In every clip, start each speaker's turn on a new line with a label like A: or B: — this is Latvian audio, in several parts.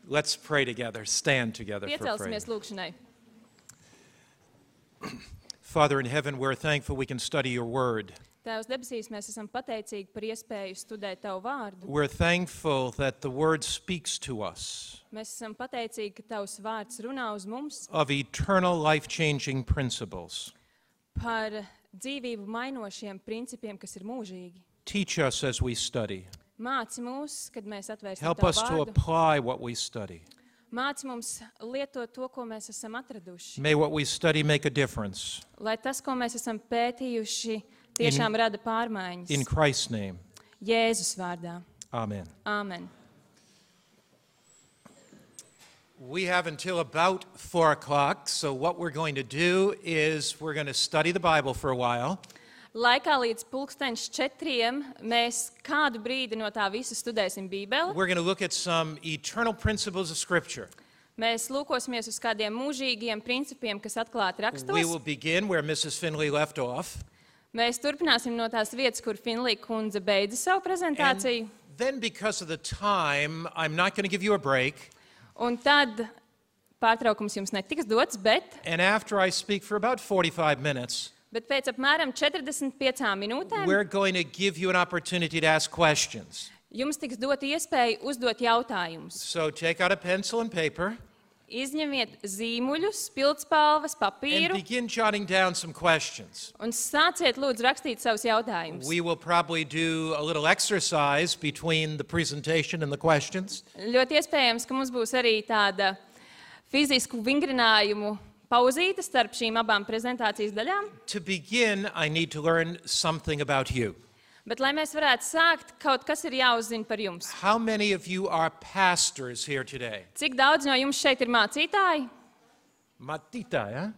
A: Let's pray together. Stand together for prayer.
B: Piecelsimies lūkšanai.
A: Father in heaven, we're thankful we can study your word.
B: Tēvs debesīs, mēs esam pateicīgi par iespēju studēt Tavu vārdu.
A: We're thankful that the word speaks to us
B: Mēs esam pateicīgi, ka Tavs vārds runā uz mums
A: of eternal life-changing principles.
B: par dzīvību mainošiem principiem, kas ir mūžīgi.
A: Teach us as we study.
B: Māci mūs, kad mēs atvērsim
A: Help
B: Tavu
A: us to
B: vārdu.
A: apply what we study.
B: Māci mums lietot to, ko mēs esam atraduši.
A: May what we study make a difference.
B: Lai tas, ko mēs esam pētījuši, tiešām rada pārmaiņas.
A: In Christ's name,
B: Jēzus vārdā.
A: amen.
B: Āmen.
A: We have until about 4 o'clock, so what we're going to do is we're going to study the Bible for a while.
B: Laikā līdz 4:00 mēs kādu brīdi no tā visa studēsim Bībeli.
A: We're going to look at some eternal principles of Scripture.
B: Mēs lūkosimies uz kādiem mūžīgiem principiem, kas atklāti
A: We will
B: rakstos.
A: begin where Mrs. Finley left off.
B: Mēs turpināsim no tās vietas, kur Finlija kundze beidza savu prezentāciju.
A: And then because of the time, I'm not going to give you a break.
B: Un tad pārtraukums jums netiks dots,
A: And after I speak for about 45 minutes,
B: bet pēc apmēram 45 minūtēm
A: we're going to give you an opportunity to ask questions.
B: jums tiks dot iespēju uzdot jautājumus.
A: So take out a pencil and paper
B: Izņemiet zīmuļus, pildspalvas,
A: and
B: papīru
A: begin jotting down some questions.
B: un sāciet lūdzu rakstīt savus jautājumus.
A: We will probably do a little exercise between the presentation and the questions.
B: Ļoti iespējams, ka mums būs arī tāda fizisku vingrinājumu pauzīte starp šīm abām prezentācijas daļām.
A: To begin, I need to learn something about you.
B: Bet, lai mēs varētu sākt, kaut kas ir jāuzzina par jums.
A: How many of you are pastors here today?
B: Cik daudz no jums šeit ir mācītāji?
A: Matitai, huh?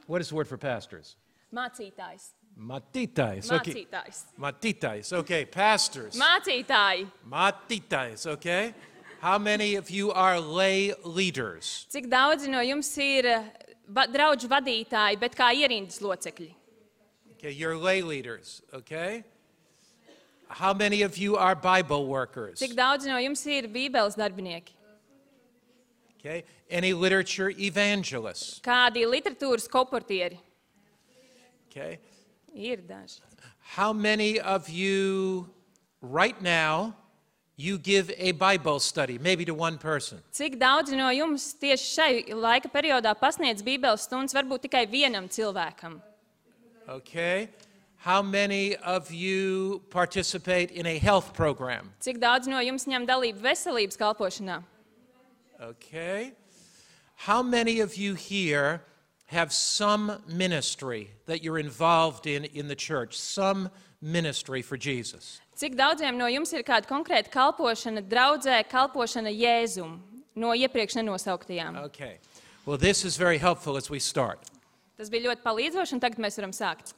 A: What is the word for pastors?
B: Mācītājs.
A: Matitais. Okay.
B: Mācītājs.
A: Matitais. Okay, pastors.
B: Mācītāji.
A: Matitais, okay? How many of you are lay leaders?
B: Cik daudzi no jums ir draudžu vadītāji, bet kā ierindas locekļi?
A: Okay, you're lay leaders, okay? How many of you are Bible workers?
B: Cik daudzi no jums ir Bībeles darbinieki?
A: Okay, any literature evangelists?
B: Kādi literatūras koportieri?
A: Okay,
B: Ir daži.
A: how many of you right now you give a Bible study, maybe to one person?
B: Cik daudzi no jums tieši šai laika periodā pasniedz Bībeles stundas varbūt tikai vienam cilvēkam?
A: Okay, how many of you participate in a health program?
B: Cik daudz no jums ņem dalību veselības kalpošanā?
A: Okay, how many of you here have some ministry that you're involved in the church, some ministry for Jesus?
B: Cik daudziem no jums ir kāda konkrēta kalpošana draudzē, kalpošana Jēzum no iepriekš nenosauktajām?
A: Okay, well, this is very helpful as we start.
B: Tas bija ļoti palīdzoši, un tagad mēs varam sākt.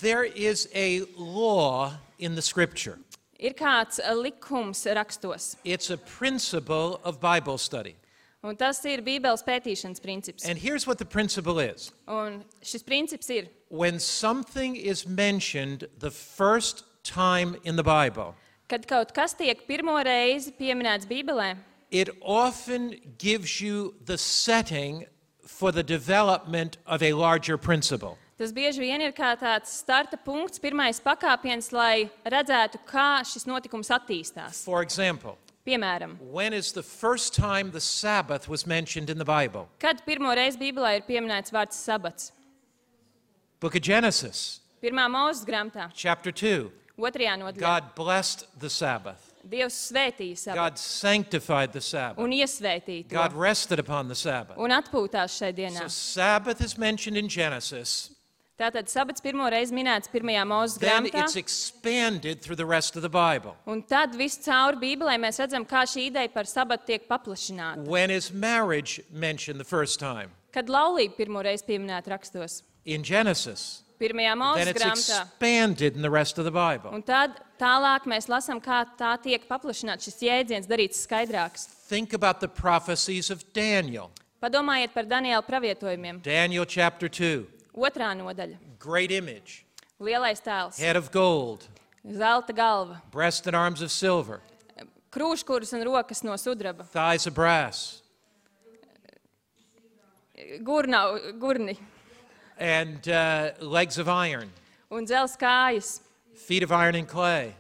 A: There is a law in the Scripture.
B: Ir kāds likums rakstos,
A: It's a principle of Bible study.
B: un tas ir Bībeles pētīšanas princips.
A: And here's what the principle is.
B: Un šis princips ir,
A: When something is mentioned the first time in the Bible,
B: kad kaut kas tiek pirmo reizi pieminēts Bībelē,
A: it often gives you the setting for the development of a larger principle.
B: tas bieži vien ir kā tāds starta punkts, pirmais pakāpiens, lai redzētu, kā šis notikums attīstās.
A: For example,
B: Piemēram,
A: when is the first time the Sabbath was mentioned in the Bible?
B: kad pirmo reizi Bībelē ir pieminēts vārds sabats?
A: Book of Genesis,
B: Pirmā Mūzes grāmatā,
A: chapter 2.
B: otrajā nodaļā.
A: God blessed the Sabbath.
B: Dievs svētīja sabatu
A: God sanctified the Sabbath.
B: un iesvētīja
A: God
B: to
A: rested upon the Sabbath.
B: un atpūtās šai dienā.
A: So Sabbath is mentioned in Genesis.
B: Tātad sabats pirmo reizi minēts pirmajā Mūzes
A: Then
B: grāmatā,
A: it's expanded through the rest of the Bible.
B: un tad viss cauri Bībelē mēs redzam, kā šī ideja par sabatu tiek paplašināta.
A: When is marriage mentioned the first time?
B: Kad laulība pirmo reizi pieminēta rakstos,
A: In Genesis.
B: pirmajā
A: Then
B: Mūzes
A: it's
B: grāmatā,
A: expanded in the rest of the Bible.
B: un tad tālāk mēs lasām, kā tā tiek paplašināta, šis jēdziens darīts skaidrāks.
A: Think about the prophecies of Daniel.
B: Padomājiet par Daniela pravietojumiem.
A: Daniel chapter 2.
B: Otrā nodaļa.
A: Great image.
B: Lielais tēls,
A: Head of gold.
B: zelta galva,
A: Breast and arms of silver.
B: krūškurus un rokas no sudraba,
A: thighs of brass,
B: gurni
A: and legs of iron,
B: un dzels kājas,
A: feet of iron and clay.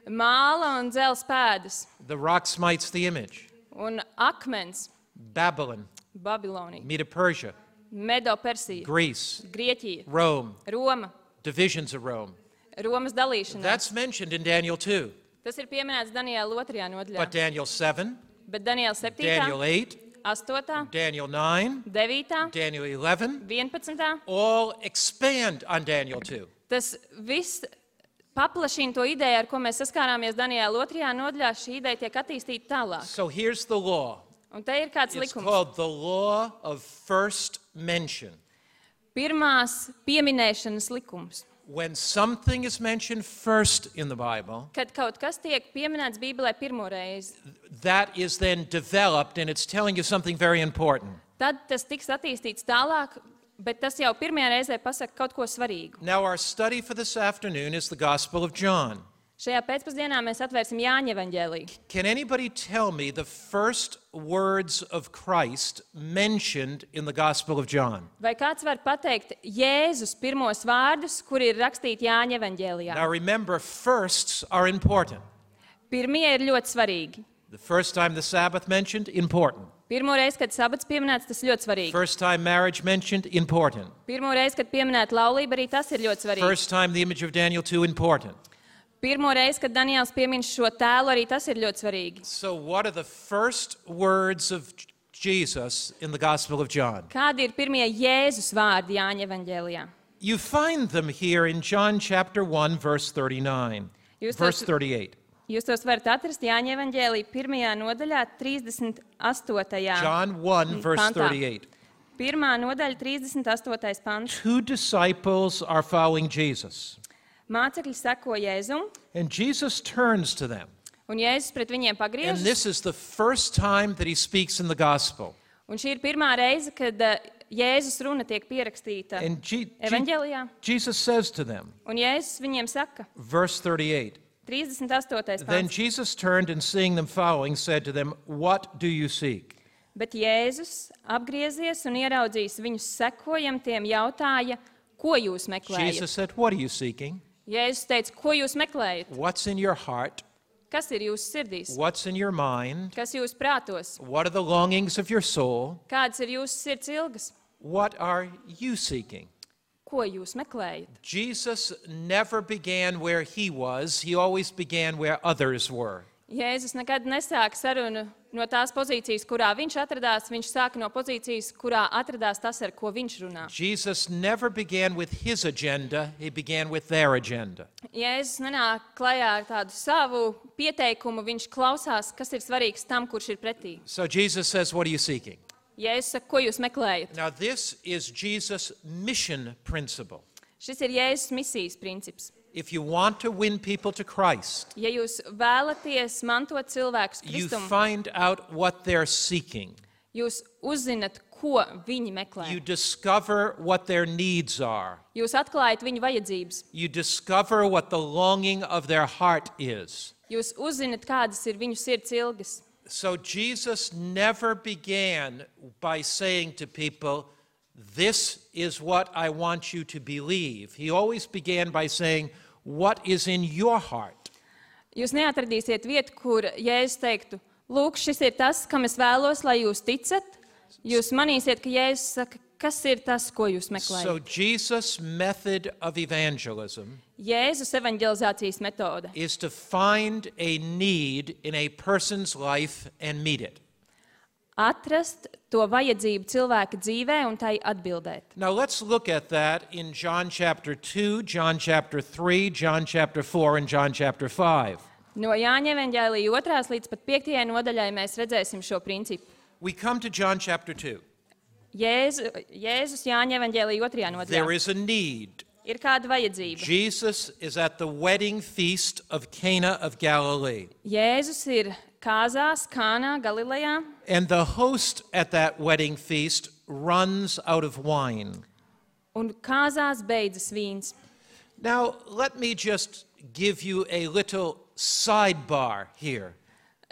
B: māla un dzels pēdas,
A: The rock smites the image.
B: un akmens,
A: Babylon,
B: Babilonija,
A: Medo-Persia,
B: Medo-Persija,
A: Greece,
B: Grieķija,
A: Rome,
B: Roma,
A: divisions of Rome.
B: Romas dalīšanās.
A: That's mentioned in Daniel 2.
B: Tas ir pieminēts Daniela 2. nodaļā.
A: But Daniel 7,
B: Bet Daniela 7.,
A: Daniel 8,
B: 8.,
A: Daniel 9,
B: 9.,
A: Daniel 11
B: 11.
A: all expand on Daniel 2.
B: Tas viss paplašina to ideju, ar ko mēs saskārāmies Daniela 2. nodaļā. Šī ideja tiek attīstīta tālāk.
A: So here's the law.
B: Un te ir kāds
A: It's
B: likums.
A: called the law of first mention.
B: Pirmās pieminēšanas likums.
A: When something is mentioned first in the Bible,
B: Kad kaut kas tiek pieminēts Bībelē pirmo reizi,
A: that is then developed and it's telling you something very important.
B: tad tas tiks attīstīts tālāk, bet tas jau pirmajā reizē pasaka kaut ko svarīgu.
A: Now, our study for this afternoon is the Gospel of John.
B: Šajā pēcpusdienā mēs atvērsim Jāņa evaņģēliju.
A: Can anybody tell me the first words of Christ mentioned in the Gospel of John?
B: Vai kāds var pateikt Jēzus pirmos vārdus, kur ir rakstīti Jāņa evaņģēlijā?
A: Now, remember, firsts are important.
B: Pirmie ir ļoti svarīgi.
A: The first time the Sabbath mentioned, important.
B: Pirmo reizi, kad sabats pieminēts, tas ļoti svarīgi.
A: First time marriage mentioned, important.
B: Pirmo reizi, kad pieminēta laulība, arī tas ir ļoti svarīgi.
A: First time the image of Daniel 2, important.
B: Pirmo reizi, kad Daniels piemin šo tēlu, arī tas ir ļoti svarīgi.
A: So, what are the first words of Jesus in the Gospel of John?
B: Kādi ir pirmie Jēzus vārdi Jāņa evaņģēlijā?
A: You find them here in John chapter 1, verse 39,
B: Jūs
A: verse
B: tos-
A: 38.
B: Jūs tos varat atrast Jāņa evaņģēlijā 1. nodaļā, 38.
A: John 1, verse
B: pantā.
A: 38.
B: 1. nodaļa, 38. pants.
A: Two disciples are following Jesus,
B: Mācekļi seko Jēzum,
A: and Jesus turns to them.
B: un Jēzus pret viņiem
A: And
B: pagriežas.
A: this is the first time that he speaks in the Gospel.
B: Un šī ir pirmā reize, kad Jēzus runa tiek pierakstīta
A: And
B: evaņģēlijā.
A: Jesus says to them,
B: Un Jēzus viņiem saka,
A: verse 38,
B: 38.
A: Then
B: pants.
A: Jesus turned and seeing them following, said to them, What do you seek?
B: Bet Jēzus apgriezies un ieraudzījis viņus sekojamtiem, jautāja, ko jūs meklējat?
A: Jesus said, What are you seeking?
B: Jēzus teica, ko jūs meklējat?
A: What's in your heart?
B: Kas ir jūsu sirdīs?
A: What's in your mind?
B: Kas jūsu prātos?
A: What are the longings of your soul?
B: Kādas ir jūsu sirds ilgas?
A: What are you seeking?
B: Ko jūs meklējat?
A: Jesus never began where he was, he always began where others were.
B: Jēzus nekad nesāka sarunu no tās pozīcijas, kurā viņš atradās. Viņš sāka no pozīcijas, kurā atradās tas, ar ko viņš runā.
A: Jesus never began with his agenda, he began with their agenda.
B: Jēzus nenāk klajā ar tādu savu pieteikumu, viņš klausās, kas ir svarīgs tam, kurš ir pretī.
A: So Jesus says, What are you seeking?
B: Jēzus saka, ko jūs meklējat?
A: Now, this is Jesus' mission principle.
B: Šis ir Jēzus misijas princips.
A: If you want to win people to Christ,
B: Ja jūs vēlaties mantot cilvēkus
A: you
B: Kristumu,
A: find out what they're seeking.
B: jūs uzzinat, ko viņi meklē.
A: You discover what their needs are.
B: Jūs atklājat viņu vajadzības.
A: You discover what the longing of their heart is.
B: Jūs uzzinat, kādas ir viņu sirds ilgas.
A: So Jesus never began by saying to people, This is what I want you to believe. He always began by saying, What is in your heart?
B: Jūs neatradīsiet vietu, kur Jēzus teiktu, lūk, šis ir tas, kam es vēlos, lai jūs ticat. Jūs manīsiet, ka Jēzus saka, kas ir tas, ko jūs
A: So
B: meklējat.
A: Jesus' method of evangelism
B: Jēzus evanģelizācijas metode
A: is to find a need in a person's life and meet it.
B: atrast to vajadzību cilvēka dzīvē un tai atbildēt.
A: Now let's look at that in John chapter 2, John chapter 3, John chapter 4, and John chapter 5.
B: No Jāņa evanģēlija 2. līdz pat 5. nodaļai mēs redzēsim šo principu.
A: We come to John chapter 2.
B: Jēzus Jāņa evanģēlija 2.
A: There
B: nodaļā.
A: is a need.
B: Ir kāda vajadzība.
A: Jesus is at the wedding feast of Cana of Galilee.
B: Jēzus ir kāzās, Kānā, Galilejā,
A: And the host at that wedding feast runs out of wine.
B: un kāzās beidzas vīns.
A: Now, let me just give you a little sidebar here.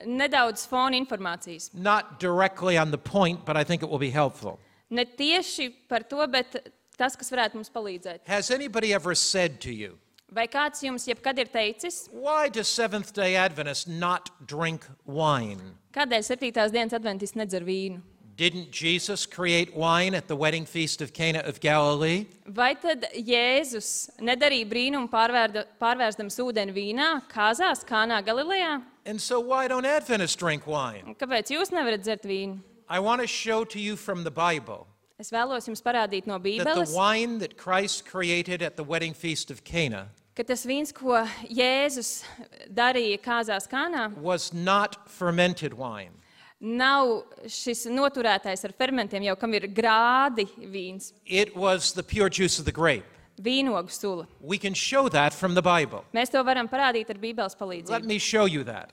B: nedaudz fona informācijas.
A: Not directly on the point, but I think it will be helpful.
B: Ne tieši par to, bet tas, kas varētu mums palīdzēt.
A: Has anybody ever said to you,
B: Vai kāds jums jebkad ir teicis,
A: why does Seventh-day Adventists not drink wine?
B: kādēļ 7. dienas adventists nedzer vīnu?
A: Didn't Jesus create wine at the wedding feast of Cana of Galilee?
B: Vai tad Jēzus nedarīja brīnumu pārvērstams ūdeni vīnā, kāzās, Kānā Galilejā?
A: And so why don't Adventists drink wine?
B: Kāpēc jūs nevarat dzert vīnu?
A: I want to show to you from the Bible
B: Es vēlos jums parādīt no
A: that
B: Bībeles,
A: the wine that Christ created at the wedding feast of Cana
B: ka tas vīns, ko Jēzus darīja kāzās Kānā,
A: was not fermented wine.
B: nav šis noturētais ar fermentiem, jau kam ir grādi vīns,
A: It was the pure juice of the grape.
B: vīnogu sula.
A: We can show that from the Bible.
B: Mēs to varam parādīt ar Bībeles
A: Let
B: palīdzību.
A: me show you that.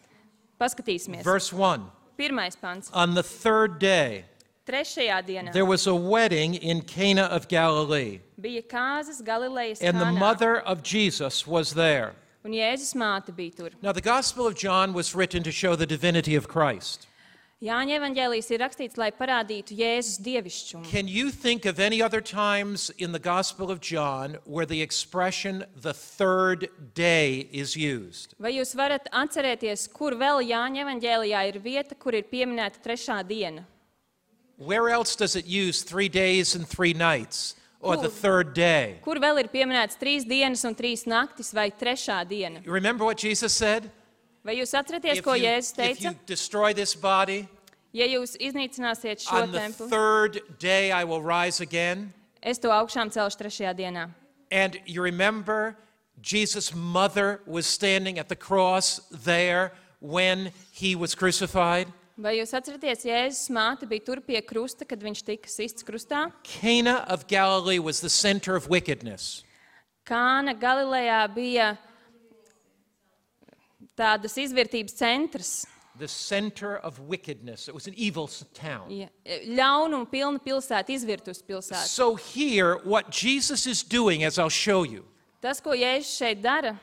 B: Paskatīsimies.
A: Verse 1.
B: 1. pants.
A: On the third day,
B: 3. dienā
A: there was a wedding in Cana of Galilee,
B: bija kāzas Galilejas
A: and the
B: Kānā,
A: mother of Jesus was there.
B: un Jēzus māte bija tur.
A: Now, the Gospel of John was written to show the divinity of Christ.
B: Jāņa evaņģēlijs ir rakstīts, lai parādītu Jēzus dievišķumu.
A: Can you think of any other times in the Gospel of John where the expression the third day is used?
B: Vai jūs varat atcerēties, kur vēl Jāņa evaņģēlijā ir vieta, kur ir pieminēta 3. diena?
A: Where else does it use 3 days and 3 nights or the third day?
B: Kur vēl ir pieminēts 3 dienas un 3 naktis vai 3. diena?
A: You remember what Jesus said?
B: Vai jūs atceraties, ko Jēzus
A: If you
B: teica?
A: destroy this body,
B: Ja jūs iznīcināsiet šo
A: on the
B: templi,
A: third day I will rise again.
B: es to augšām celšu 3. dienā.
A: And you remember Jesus' mother was standing at the cross there when he was crucified?
B: Vai jūs atceraties, Jēzus māte bija tur pie krusta, kad viņš tika sists krustā?
A: Cana of Galilee was the center of wickedness.
B: Kāna Galilejā bija tādas izvērtības centrs,
A: The center of wickedness. It was an evil town.
B: ļaunumu pilna pilsēta, izvirtus pilsēta.
A: So here, what Jesus is doing, as I'll show you,
B: Tas, ko Jēzus šeit dara,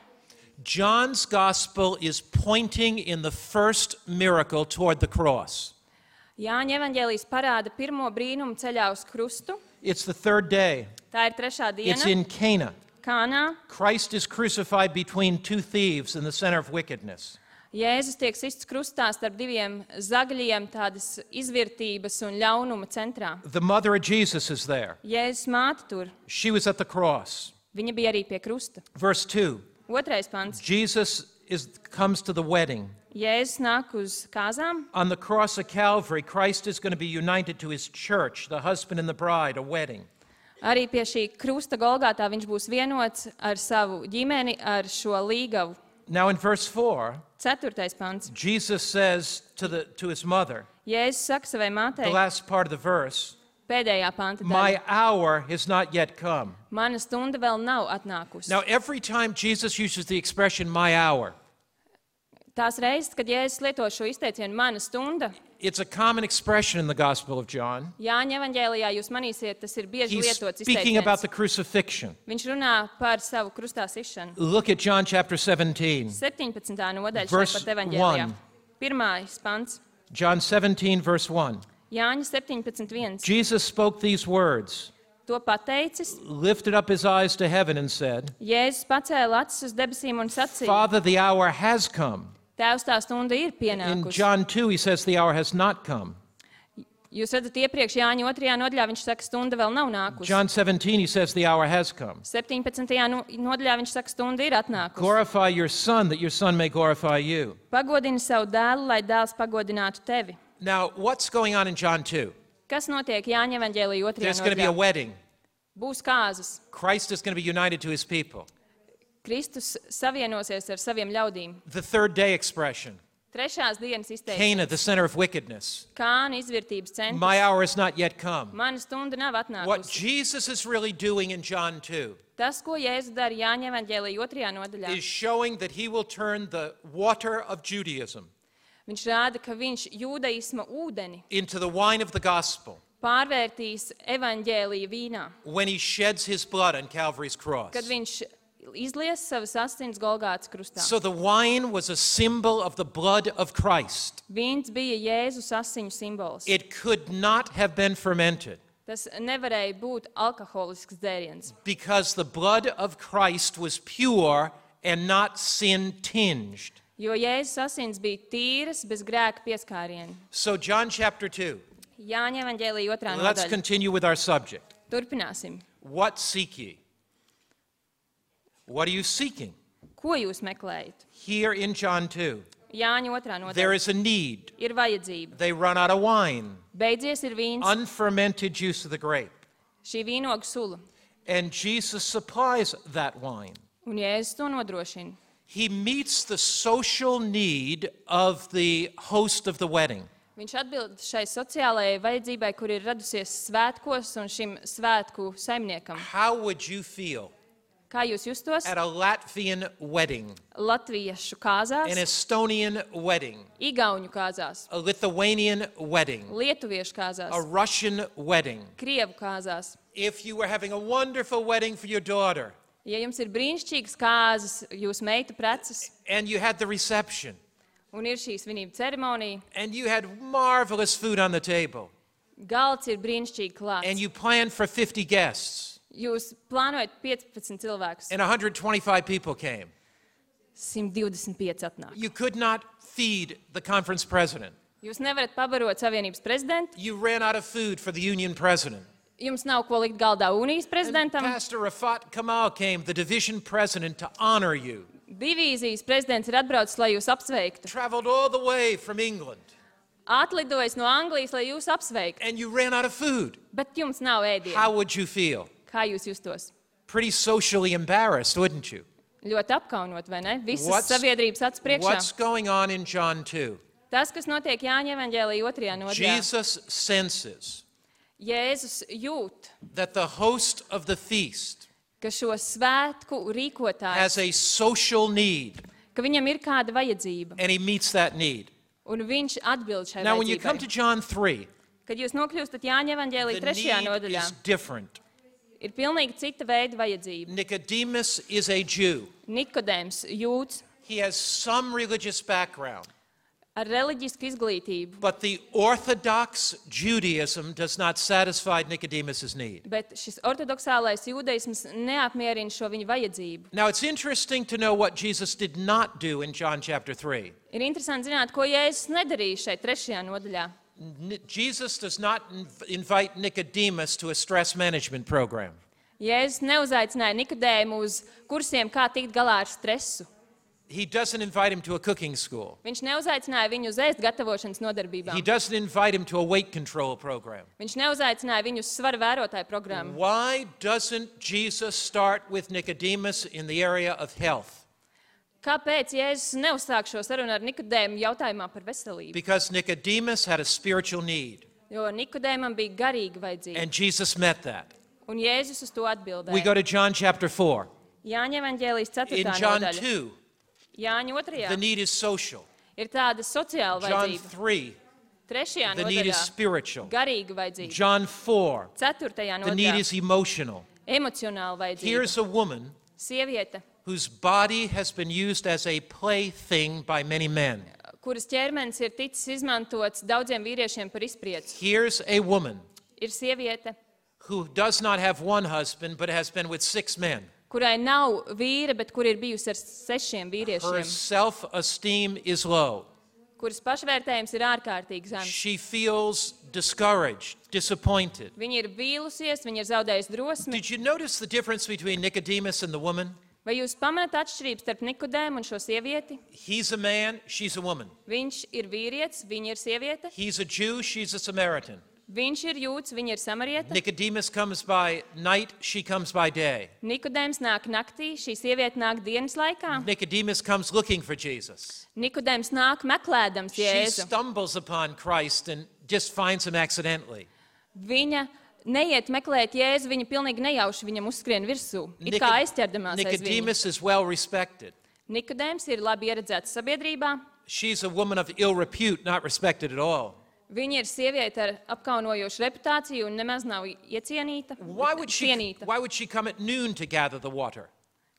A: John's gospel is pointing in the first miracle toward the cross.
B: Jāņa evaņģēlijs parāda pirmo brīnumu ceļā uz krustu.
A: It's the third day.
B: Tā ir 3.
A: It's
B: diena,
A: in Cana.
B: Kānā.
A: Christ is crucified between 2 thieves in the center of wickedness.
B: Jēzus tiek sists krustā starp 2 zagļiem, tādas izvirtības un ļaunuma centrā.
A: The mother of Jesus is there.
B: Jēzus māte tur,
A: She was at the cross.
B: viņa bija arī pie krusta.
A: Verse 2.
B: 2. pants.
A: Jesus comes to the wedding.
B: Jēzus nāk uz kāzām.
A: On the cross of Calvary, Christ is going to be united to his church, the husband and the bride, a wedding.
B: Arī pie šī krusta Golgātā viņš būs vienots ar savu ģimeni, ar šo līgavu.
A: Now in verse 4,
B: 4. pants.
A: Jesus says to his mother,
B: Jēzus saka savai
A: the
B: mātei,
A: last part of the verse,
B: pēdējā panta
A: my
B: daļa.
A: hour has not yet come.
B: Mana stunda vēl nav atnākusi.
A: Now every time Jesus uses the expression my hour,
B: Tās reizes, kad Jēzus lieto šo izteicienu mana stunda,
A: it's a common expression in the Gospel of John.
B: Jāņa evaņģēlijā jūs manīsiet, tas ir bieži
A: He's
B: lietots
A: speaking about
B: izteiciens.
A: the crucifixion.
B: Viņš runā par savu krustā sišanu.
A: Look at John chapter 17.
B: 17. nodaļa
A: Verse
B: šeit pat evaņģēlijā.
A: 1.
B: 1. pants.
A: John 17, verse 1.
B: Jāņa 17.1.
A: Jesus spoke these words,
B: To pateicis,
A: lifted up his eyes to heaven and said,
B: Jēzus pacēla acis uz debesīm un sacīja,
A: Father, the hour has come.
B: Tēvs, tā stunda ir
A: In
B: pienākusi.
A: John 2, he says the hour has not come.
B: Jūs redzat, iepriekš Jāņa 2. nodaļā viņš saka, stunda vēl nav nākusi.
A: John 17, he says the hour has come.
B: 17. nodaļā viņš saka, stunda ir atnākusi.
A: Glorify your Son, that your Son may glorify you.
B: Pagodini savu dēlu, lai dēls pagodinātu tevi.
A: Now, what's going on in John 2?
B: Kas notiek Jāņa evaņģēlijā 2.
A: There's going to be a
B: nodaļā?
A: wedding.
B: Būs kāzas.
A: Christ is going to be united to his people.
B: Kristus savienosies ar saviem ļaudīm.
A: The third day expression.
B: 3. dienas izteikts.
A: Cana, the center of wickedness.
B: Kāna izvērtības centrs.
A: My hour has not yet come.
B: Mana stunda nav
A: What
B: atnākusi.
A: Jesus is really doing in John 2
B: Tas, ko Jēzus dara Jāņa evaņģēlijā 2. nodaļā,
A: is showing that he will turn the water of Judaism
B: viņš rāda, ka viņš jūdaisma ūdeni
A: into the wine of the gospel
B: pārvērtīs evaņģēlija vīnā,
A: when he sheds his blood on Calvary's cross.
B: kad viņš izlies savas asins Golgātas krustā.
A: So the wine was a symbol of the blood of Christ.
B: Vīns bija Jēzus asiņu simbols.
A: It could not have been fermented
B: Tas nevarēja būt alkoholisks dzēriens,
A: because the blood of Christ was pure and not sin tinged.
B: jo Jēzus asins bija tīras, bez grēka pieskāriena.
A: So John chapter 2.
B: Jāņa evaņģēlija 2.
A: Let's
B: nodaļa.
A: continue with our subject.
B: Turpināsim.
A: What seek ye? What are you seeking?
B: Ko jūs meklējat?
A: Here in John 2,
B: Jāņa 2.
A: there
B: nodaļa.
A: is a need.
B: Ir vajadzība.
A: They run out of wine,
B: Beidzies ir vīns,
A: unfermented juice of the grape.
B: šī vīnoga sula,
A: And Jesus supplies that wine.
B: un Jēzus to nodrošina.
A: He meets the social need of the host of the wedding.
B: Viņš atbild šai sociālajai vajadzībai, kur ir radusies svētkos un šim svētku saimniekam.
A: How would you feel
B: Kā jūs justos?
A: at a Latvian wedding,
B: Latviešu
A: an
B: kāzās,
A: Estonian wedding,
B: Igauņu kāzās,
A: a Lithuanian wedding,
B: Lietuviešu
A: a
B: kāzās,
A: Russian wedding?
B: Krievu kāzās.
A: If you were having a wonderful wedding for your daughter
B: Ja jums ir brīnišķīgas kāzas, jūs meitu preces,
A: and you had the reception
B: un ir šī svinību ceremonija,
A: and you had marvelous food on the table
B: galds ir brīnišķīgi
A: and
B: klāts.
A: you planned for 50 guests
B: Jūs plānojat 15 cilvēkus,
A: and 125 people came,
B: 125 atnāk.
A: you could not feed the conference president.
B: Jūs nevarat pabarot Savienības prezidentu,
A: You ran out of food for the union president.
B: jums nav ko likt galdā Unijas
A: And
B: prezidentam,
A: Pastor Rafat Kamal came, the division president, to honor you.
B: divīzijas prezidents ir atbraucis, lai jūs apsveiktu.
A: Traveled all the way from England
B: Atlidojis no Anglijas, lai jūs apsveiktu,
A: and you ran out of food.
B: bet jums nav ēdienu.
A: How would you feel?
B: Kā jūs justos?
A: Pretty socially embarrassed, wouldn't you?
B: Ļoti apkaunot, vai ne? Visas
A: What's-
B: sabiedrības acu priekšā.
A: What's going on in John 2?
B: Tas, kas notiek Jāņa evaņģēlija 2. nodaļā.
A: Jesus senses
B: Jēzus jūt,
A: that the host of the feast
B: ka šo svētku rīkotājs,
A: has a social need,
B: ka viņam ir kāda vajadzība,
A: and he meets that need.
B: un viņš atbild šai
A: Now, when you come to
B: vajadzībai.
A: John 3,
B: Kad jūs nokļūstat Jāņa evaņģēlija
A: the
B: 3.
A: need
B: nodaļā,
A: is different.
B: ir pilnīgi cita veida vajadzība.
A: Nicodemus is a Jew.
B: Nikodēms jūts
A: He has some religious background,
B: ar reliģisku izglītību,
A: but the Orthodox Judaism does not satisfy Nicodemus's need.
B: bet šis ortodoksālais jūdaisms neapmierina šo viņa vajadzību.
A: Now, it's interesting to know what Jesus did not do in John chapter 3.
B: Ir interesanti zināt, ko Jēzus nedarīja šeit 3. nodaļā.
A: Jesus does not invite Nicodemus to a stress management program.
B: Jēzus neuzaicināja Nikodēmu uz kursiem, kā tikt galā ar stresu.
A: He doesn't invite him to a cooking school.
B: Viņš neuzaicināja viņu uz ēst gatavošanas
A: He
B: nodarbībām.
A: doesn't invite him to a weight control program.
B: Viņš neuzaicināja viņu uz svara vērotāju programmu.
A: Why doesn't Jesus start with Nicodemus in the area of health?
B: Kāpēc Jēzus neuzsāk šo sarunu ar Nikodēmu jautājumā par veselību?
A: Because Nicodemus had a spiritual need,
B: Jo Nikodēmam bija garīga vajadzība,
A: and Jesus met that.
B: un Jēzus uz to
A: We
B: atbildēja.
A: go to John chapter 4.
B: Jāņa evaņģēlijas 4.
A: In John
B: nodaļa.
A: 2,
B: Jāņa
A: the
B: 2.
A: need is social.
B: ir tāda sociāla
A: John
B: vajadzība.
A: 3,
B: 3.
A: the need is
B: nodaļā
A: spiritual.
B: garīga vajadzība.
A: John 4,
B: 4.
A: the need
B: nodaļā
A: is emotional.
B: emocionāla vajadzība.
A: Here's a woman
B: Sieviete,
A: whose body has been used as a plaything by many men.
B: kuras ķermenis ir ticis izmantots daudziem vīriešiem par izprieci.
A: Here's a woman
B: Ir sieviete,
A: who does not have one husband but has been with 6 men.
B: kurai nav vīra, bet kur ir bijusi ar 6
A: Her
B: vīriešiem,
A: self-esteem is low.
B: kuras pašvērtējums ir ārkārtīgi zems.
A: She feels discouraged, disappointed.
B: Viņa ir vīlusies, viņa ir zaudējusi drosmi.
A: Did you notice the difference between Nicodemus and the woman?
B: Vai jūs pamanāt atšķirību starp Nikodēmu un šo sievieti?
A: He's a man, she's a woman.
B: Viņš ir vīrietis, viņa ir sieviete.
A: He's a Jew, she's a Samaritan.
B: Viņš ir jūds, viņa ir samarieta.
A: Nicodemus comes by night, she comes by day.
B: Nikodēms nāk naktī, šī sieviete nāk dienas laikā.
A: Nicodemus comes looking for Jesus.
B: Nikodēms nāk meklēdams
A: She
B: Jēzu.
A: stumbles upon Christ and just finds him accidentally.
B: Viņa neiet meklēt Jēzu, viņa pilnīgi nejauši viņam uzskrien virsū. It kā aizķerdamās aiz viņu.
A: Nicodemus is well respected.
B: Nikodēms ir labi ieredzēts sabiedrībā.
A: She's a woman of ill repute, not respected at all.
B: Viņa ir sieviete ar apkaunojošu reputāciju un nemaz nav iecienīta.
A: Why would
B: cienīta.
A: she come at noon to gather the water?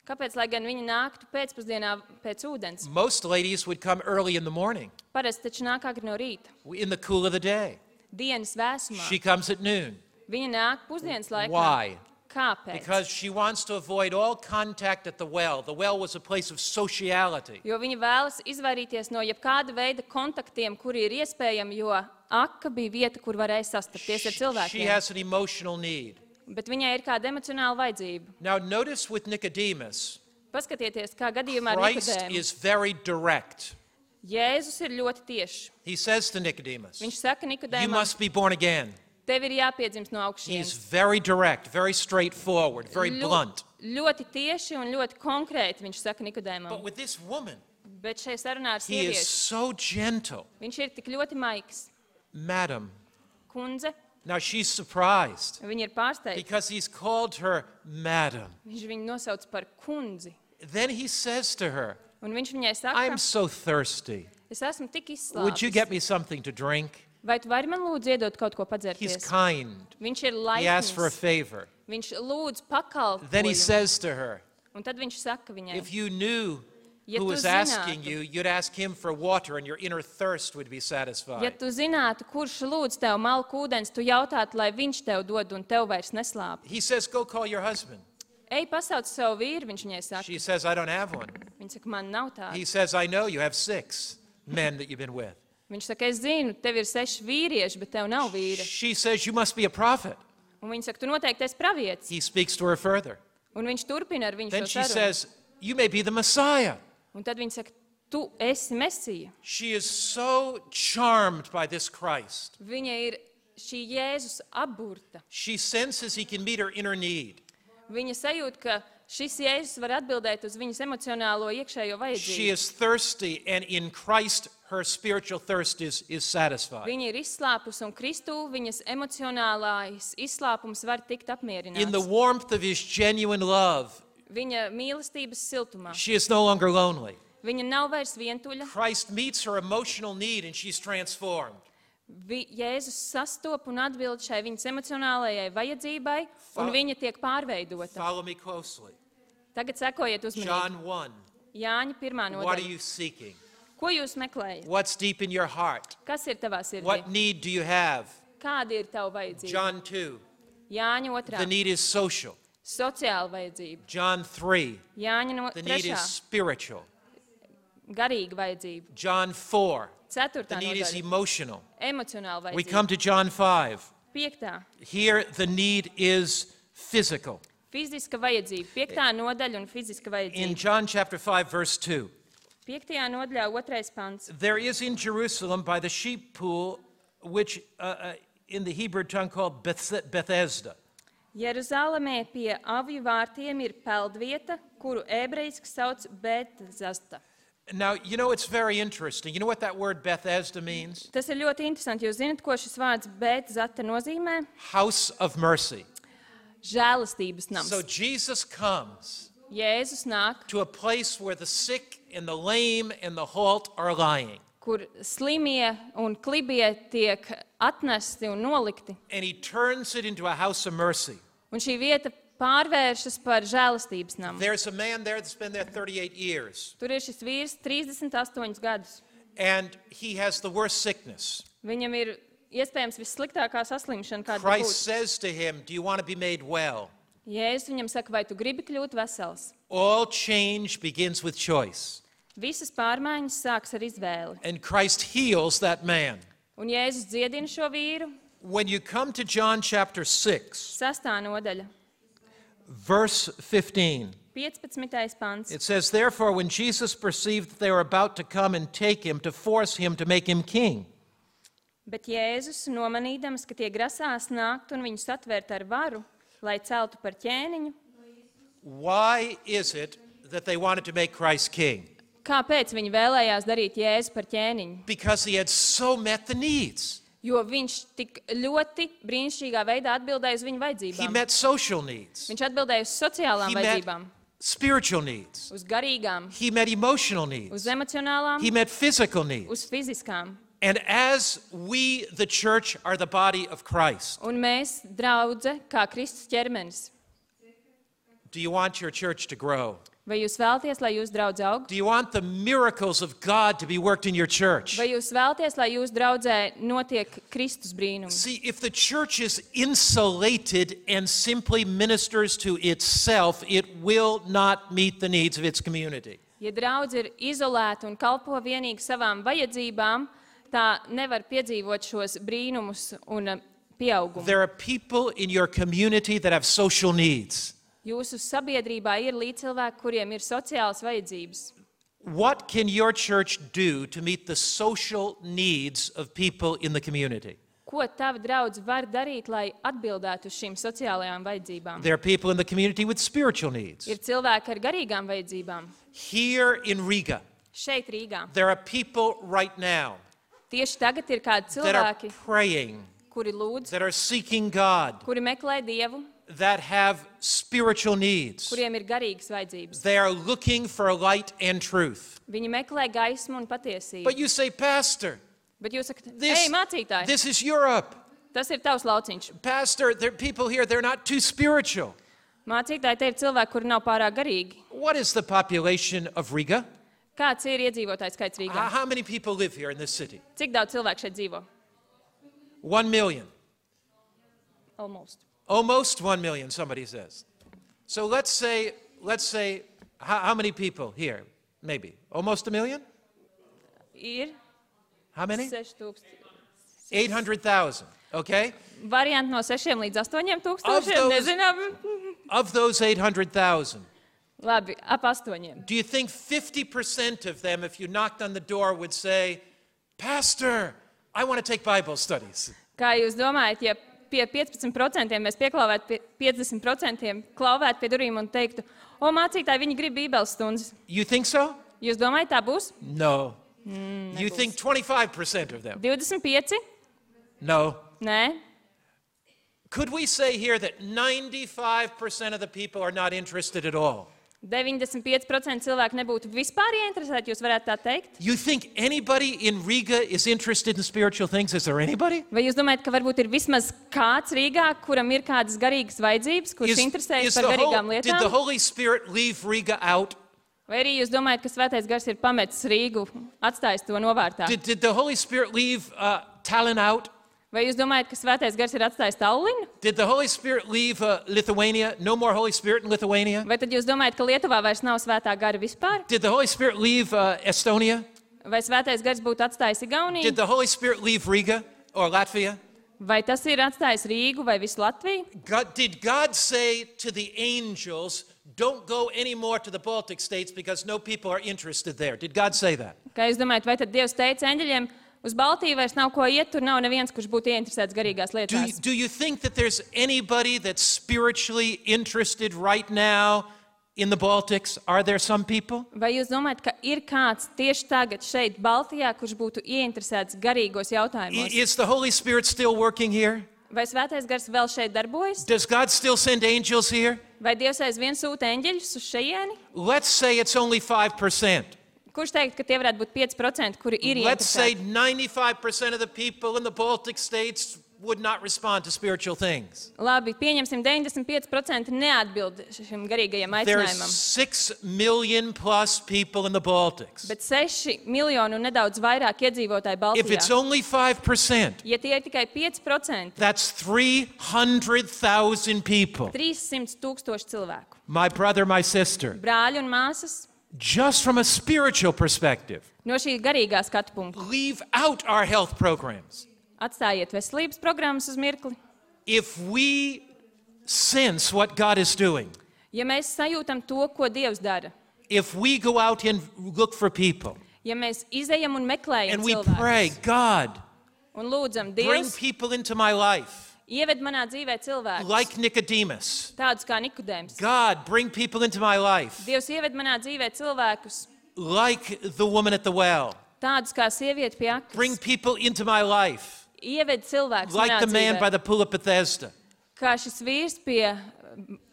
B: Kāpēc, lai gan viņi nāktu pēcpusdienā pēc ūdens?
A: Most ladies would come early in the morning,
B: Parasti taču nāk agri no rīta,
A: in the cool of the day.
B: dienas vēsumā.
A: She comes at noon.
B: Viņa nāk pusdienas laikā.
A: Why?
B: Kāpēc?
A: Because she wants to avoid all contact at the well. The well was a place of sociality.
B: Jo viņa vēlas izvairīties no jebkāda veida kontaktiem, kuri ir iespējami, jo aka bija vieta, kur varēja sastapties ar
A: She
B: cilvēkiem.
A: has an emotional need.
B: Bet viņai ir kāda emocionāla vajadzība.
A: Now notice with Nicodemus,
B: Paskatieties, kā gadījumā ar
A: Christ
B: Nikodēmu.
A: is very direct.
B: Jēzus ir ļoti tiešs.
A: He says to Nicodemus,
B: Viņš saka
A: you
B: Nikodēmam,
A: must be born again.
B: tev ir jāpiedzimst no
A: He's
B: augšas.
A: very direct, very straightforward, very blunt.
B: Ļoti tieši un ļoti konkrēti viņš saka Nikodēmam.
A: But with this woman,
B: Bet šeit sarunā ar
A: he is
B: sievieti
A: so gentle.
B: viņš ir tik ļoti maigs.
A: Madam.
B: Kundze,
A: Now she's surprised
B: viņa ir pārsteigta.
A: because he's called her Madam.
B: Viņš viņu nosauc par kundzi.
A: Then he says to her,
B: Un viņš viņai saka,
A: I'm so thirsty.
B: es esmu tik
A: Would you get
B: izslāpis.
A: me something to drink?
B: Vai tu vari man lūdzu iedot kaut ko
A: He's
B: padzerties?
A: kind.
B: Viņš ir
A: He asks for a
B: laipns.
A: favor.
B: Viņš lūdz
A: Then he
B: pakalpojumu.
A: says to her,
B: Un tad viņš saka viņai,
A: if you knew
B: Ja
A: who
B: tu
A: was asking
B: zinātu-
A: you, you'd ask him for water and your inner thirst would be
B: ja
A: satisfied.
B: tu zinātu, kurš lūdz tev malku ūdens, tu jautātu, lai viņš tev dod un tev vairs neslāp.
A: He says, go call your husband.
B: Ej, pasauc savu vīru, viņš viņai saka.
A: She says, I don't have one.
B: Viņa saka, man nav tāda.
A: He says, I know you have 6 men that you've been with.
B: Viņš saka, es zinu, tev ir 6 vīrieši, bet tev nav vīra.
A: She says, you must be a prophet.
B: Un viņa saka, tu noteikti esi pravietis.
A: He speaks to her further.
B: Un viņš turpina ar viņu
A: Then
B: šo
A: she
B: sarunu.
A: says, you may be the Messiah.
B: Un tad viņa saka, tu esi Mesija.
A: She is so charmed by this Christ.
B: Viņa ir šī Jēzus apburta.
A: She senses he can meet her inner need.
B: Viņa sajūt, ka šis Jēzus var atbildēt uz viņas emocionālo iekšējo
A: She
B: vajadzību.
A: is thirsty, and in Christ, her spiritual thirst is satisfied.
B: Viņa ir izslāpusi un Kristū viņas emocionālais izslāpums var tikt
A: In the
B: apmierināts.
A: warmth of his genuine love,
B: Viņa mīlestības siltumā.
A: she is no longer lonely.
B: Viņa nav vairs vientuļa.
A: Christ meets her emotional need, and she's transformed.
B: Jēzus sastop un atbild šai viņas emocionālajai vajadzībai, un viņa tiek pārveidota.
A: Follow me closely.
B: Tagad sekojiet uzmanīgi.
A: John 1.
B: Jāņa 1.
A: What are
B: nodaļa.
A: you seeking?
B: Ko jūs meklējat?
A: What's deep in your heart?
B: Kas ir tavā sirdī?
A: What need do you have?
B: Kāda ir tava vajadzība?
A: John 2.
B: Jāņa
A: The
B: 2.
A: need is social.
B: Sociāla vajadzība.
A: John 3.
B: Jāņa
A: The need
B: 3.
A: is spiritual.
B: Garīga vajadzība.
A: John 4.
B: 4.
A: The need is
B: nodaļa.
A: emotional.
B: Emocionāla
A: We come
B: vajadzība.
A: to John 5.
B: 5.
A: Here, the need is physical.
B: Fiziska vajadzība. 5. nodaļa un fiziska
A: In
B: vajadzība.
A: John chapter 5, verse 2,
B: 5. nodaļā 2. pants.
A: there is in Jerusalem by the sheep pool, which in the Hebrew tongue called Bethesda.
B: Jeruzalemē pie avju vārtiem ir peldvieta, kuru ebrejiski sauc Bētzasta.
A: Now, you know, it's very interesting. You know what that word Bethesda means?
B: Tas ir ļoti interesanti. Jūs zināt, ko šis vārds Bētzasta nozīmē?
A: House of mercy.
B: Žēlastības nams.
A: So Jesus comes
B: Jēzus nāk,
A: to a place where the sick and the lame and the halt are lying.
B: kur slimie un klibie tiek atnesti un nolikti.
A: And he turns it into a house of mercy.
B: Un šī vieta pārvēršas par žēlastības namu.
A: There's a man there that's been there 38 years,
B: Tur ir šis vīrs 38 gadus.
A: and he has the worst sickness.
B: Viņam ir iespējams vissliktākā saslimšana, kāda
A: Christ
B: būtu.
A: says to him, do you want to be made well?
B: Jēzus viņam saka, vai tu gribi kļūt vesels?
A: All change begins with choice.
B: Visas pārmaiņas sāks ar izvēli.
A: And Christ heals that man.
B: Un Jēzus dziedina šo vīru.
A: When you come to John chapter 6,
B: 6. nodaļa,
A: verse 15,
B: 15. pants.
A: it says, therefore, when Jesus perceived that they were about to come and take him to force him to make him king,
B: Bet Jēzus, nomanīdams, ka tie grasās nākt un viņus atvērt ar varu, lai celtu par ķēniņu,
A: why is it that they wanted to make Christ king?
B: kāpēc viņi vēlējās darīt Jēzu par ķēniņu?
A: Because he had so met the needs.
B: Jo viņš tik ļoti brīnišķīgā veidā atbildēja uz viņu
A: He
B: vajadzībām.
A: met social needs.
B: Viņš atbildēja uz sociālām
A: He met
B: vajadzībām,
A: spiritual needs.
B: uz garīgām,
A: He met emotional
B: uz
A: needs.
B: emocionālām,
A: He met physical needs.
B: uz fiziskām.
A: And as we, the church, are the body of Christ,
B: Un mēs, draudze, kā Kristus ķermenis,
A: do you want your church to grow?
B: Vai jūs vēlaties, lai jūsu draudz aug?
A: Do you want the miracles of God to be worked in your church?
B: Vai jūs vēlaties, lai jūsu draudzē notiek Kristus brīnumi?
A: See, if the church is insulated and simply ministers to itself, it will not meet the needs of its community.
B: Ja draudz ir izolēta un kalpo vienīgi savām vajadzībām, tā nevar piedzīvot šos brīnumus un pieaugumu.
A: There are people in your community that have social needs.
B: Jūsu sabiedrībā ir līdzcilvēki, kuriem ir sociālas vajadzības.
A: What can your church do to meet the social needs of people in the community?
B: Ko tava draudz var darīt, lai atbildētu uz šīm sociālajām vajadzībām?
A: There are people in the community with spiritual needs.
B: Ir cilvēki ar garīgām vajadzībām.
A: Here in Riga,
B: Šeit Rīgā.
A: there are people right now
B: Tieši tagad ir kādi
A: that are
B: cilvēki,
A: praying,
B: kuri lūdz,
A: that are seeking God,
B: kuri meklē Dievu,
A: that have spiritual needs.
B: kuriem ir garīgas vajadzības.
A: They are looking for light and truth.
B: Viņi meklē gaismu un patiesību.
A: But you say, Pastor,
B: Bet jūs sakat,
A: this,
B: ej, mācītāji,
A: this is Europe.
B: tas ir tavs lauciņš.
A: Pastor, there are people here, they're not too spiritual.
B: Mācītāji, te ir cilvēki, kuri nav pārāk garīgi.
A: What is the population of Riga?
B: Kāds ir iedzīvotājs skaits Rīgā?
A: How many people live here in this city?
B: Cik daudz cilvēku šeit dzīvo?
A: 1 million.
B: Almost.
A: Almost 1 million, somebody says. So let's say, how many people here? Maybe. Almost 1 million?
B: Ir
A: How many?
B: 6,000.
A: 800,000, okay?
B: Varianti no 6 līdz 8
A: Of
B: tūkstošiem,
A: those-
B: nezinām.
A: Of those 800,000,
B: Labi, ap 8.
A: do you think 50% of them, if you knocked on the door, would say, Pastor, I want to take Bible studies?
B: Kā jūs domājat, ja pie 15% mēs pieklauvētu pie 50% klauvētu pie durvīm un teiktu, o, mācītāji, viņi grib bībeles stundas.
A: You think so?
B: Jūs domājat, tā būs?
A: No. You think 25% of them?
B: 25?
A: No.
B: Nē.
A: Could we say here that 95% of the people are not interested at all?
B: 95% cilvēku nebūtu vispār ieinteresēti, jūs varētu tā teikt?
A: You think anybody in Riga is interested in spiritual things? Is there anybody?
B: Vai jūs domājat, ka varbūt ir vismaz kāds Rīgā, kuram ir kādas garīgas vajadzības, kurš interesējas par garīgām
A: Did the
B: lietām?
A: Holy Spirit leave Riga out?
B: Vai arī jūs domājat, ka Svētais Gars ir pametis Rīgu, atstājis to novārtā?
A: Did the Holy Spirit leave Tallinn out?
B: Vai jūs domājat, ka Svētais Gars ir atstājis Tallinu?
A: Did the Holy Spirit leave Lithuania? No more Holy Spirit in Lithuania?
B: Vai tad jūs domājat, ka Lietuvā vairs nav Svētā Gara vispār?
A: Did the Holy Spirit leave Estonia?
B: Vai Svētais Gars būtu atstājis Igauniju?
A: Did the Holy Spirit leave Riga or Latvia?
B: Vai tas ir atstājis Rīgu vai visu Latviju?
A: Did God say to the angels, don't go anymore to the Baltic states because no people are interested there? Did God say that?
B: Kā jūs domājat, vai tad Dievs teica eņģeļiem, uz Baltiju vairs nav ko iet, tur nav neviens, kurš būtu ieinteresēts garīgās lietās?
A: Do you think that there's anybody that's spiritually interested right now in the Baltics? Are there some people?
B: Vai jūs domājat, ka ir kāds tieši tagad šeit Baltijā, kurš būtu ieinteresēts garīgos jautājumos?
A: Is the Holy Spirit still working here?
B: Vai Svētais Gars vēl šeit darbojas?
A: Does God still send angels here?
B: Vai Dievs aizvien sūta eņģeļus uz šejieni?
A: Let's say it's only 5%.
B: Kurš teikt, ka tie varētu būt 5%, kuri ir
A: Let's say
B: ieinteresēti?
A: 95% of the people in the Baltic states would not respond to spiritual things.
B: Labi, pieņemsim 95% neatbild šim garīgajam
A: There's
B: aicinājumam.
A: 6 million plus people in the Baltics.
B: Bet 6 miljoni un nedaudz vairāk iedzīvotāji
A: If it's
B: Baltijā.
A: only 5%,
B: Ja tie ir tikai 5%,
A: that's 300,000 people.
B: 300,000 cilvēku.
A: My brother, my sister,
B: Brāļi un māsas
A: just from a spiritual perspective,
B: no šī garīgā skatu punkta.
A: leave out our health programs.
B: Atstājiet veselības programmas uz mirkli.
A: If we sense what God is doing,
B: Ja mēs sajūtam to, ko Dievs dara,
A: if we go out and look for people
B: ja mēs izejam un meklējam
A: and we pray,
B: cilvēkus
A: God,
B: un lūdzam,
A: bring
B: Dievs,
A: people into my life,
B: ieved manā dzīvē cilvēkus,
A: like Nicodemus.
B: tādus kā Nikodēms.
A: God, bring people into my life,
B: Dievs ieved manā dzīvē cilvēkus,
A: like the woman at the well.
B: tādus kā sieviete pie
A: Bring
B: aknas.
A: people into my life,
B: Ieved cilvēkus
A: like
B: manā
A: the man by
B: dzīvē,
A: the pool of Bethesda.
B: kā šis vīrs pie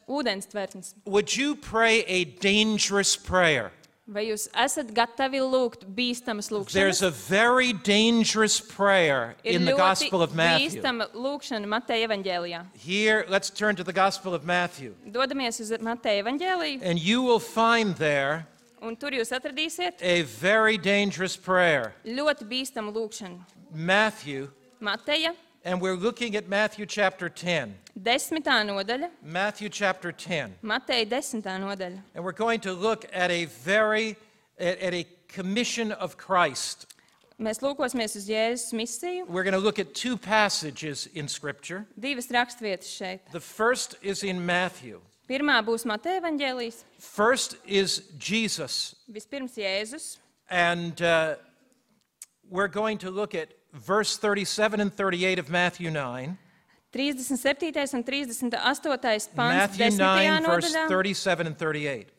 B: ūdens tvertnes.
A: Would you pray a dangerous prayer?
B: Vai jūs esat gatavi lūgt bīstamas
A: There's
B: lūkšanas?
A: a very dangerous prayer
B: Ir
A: in the
B: ļoti
A: Gospel of Matthew.
B: bīstama lūkšana Mateja evaņģēlijā.
A: Here, let's turn to the Gospel of Matthew.
B: Dodamies uz Mateja evaņģēliju,
A: And you will find there
B: un tur jūs atradīsiet
A: a very dangerous prayer.
B: ļoti bīstamu lūkšanu.
A: Matthew,
B: Mateja,
A: and we're looking at Matthew chapter 10.
B: 10. nodaļa,
A: Matthew chapter 10.
B: Mateja 10. nodaļa.
A: And we're going to look at a commission of Christ.
B: Mēs lūkosimies uz Jēzus misiju.
A: We're going to look at two passages in Scripture.
B: Divas rakstvietas šeit.
A: The first is in Matthew.
B: Pirmā būs Mateja evaņģēlijs,
A: First is Jesus.
B: vispirms Jēzus.
A: And we're going to look at verse 37 and 38 of Matthew 9.
B: 37. un 38. pants
A: Matthew
B: 10.
A: 9, verse
B: nodaļā.
A: 37 and 38.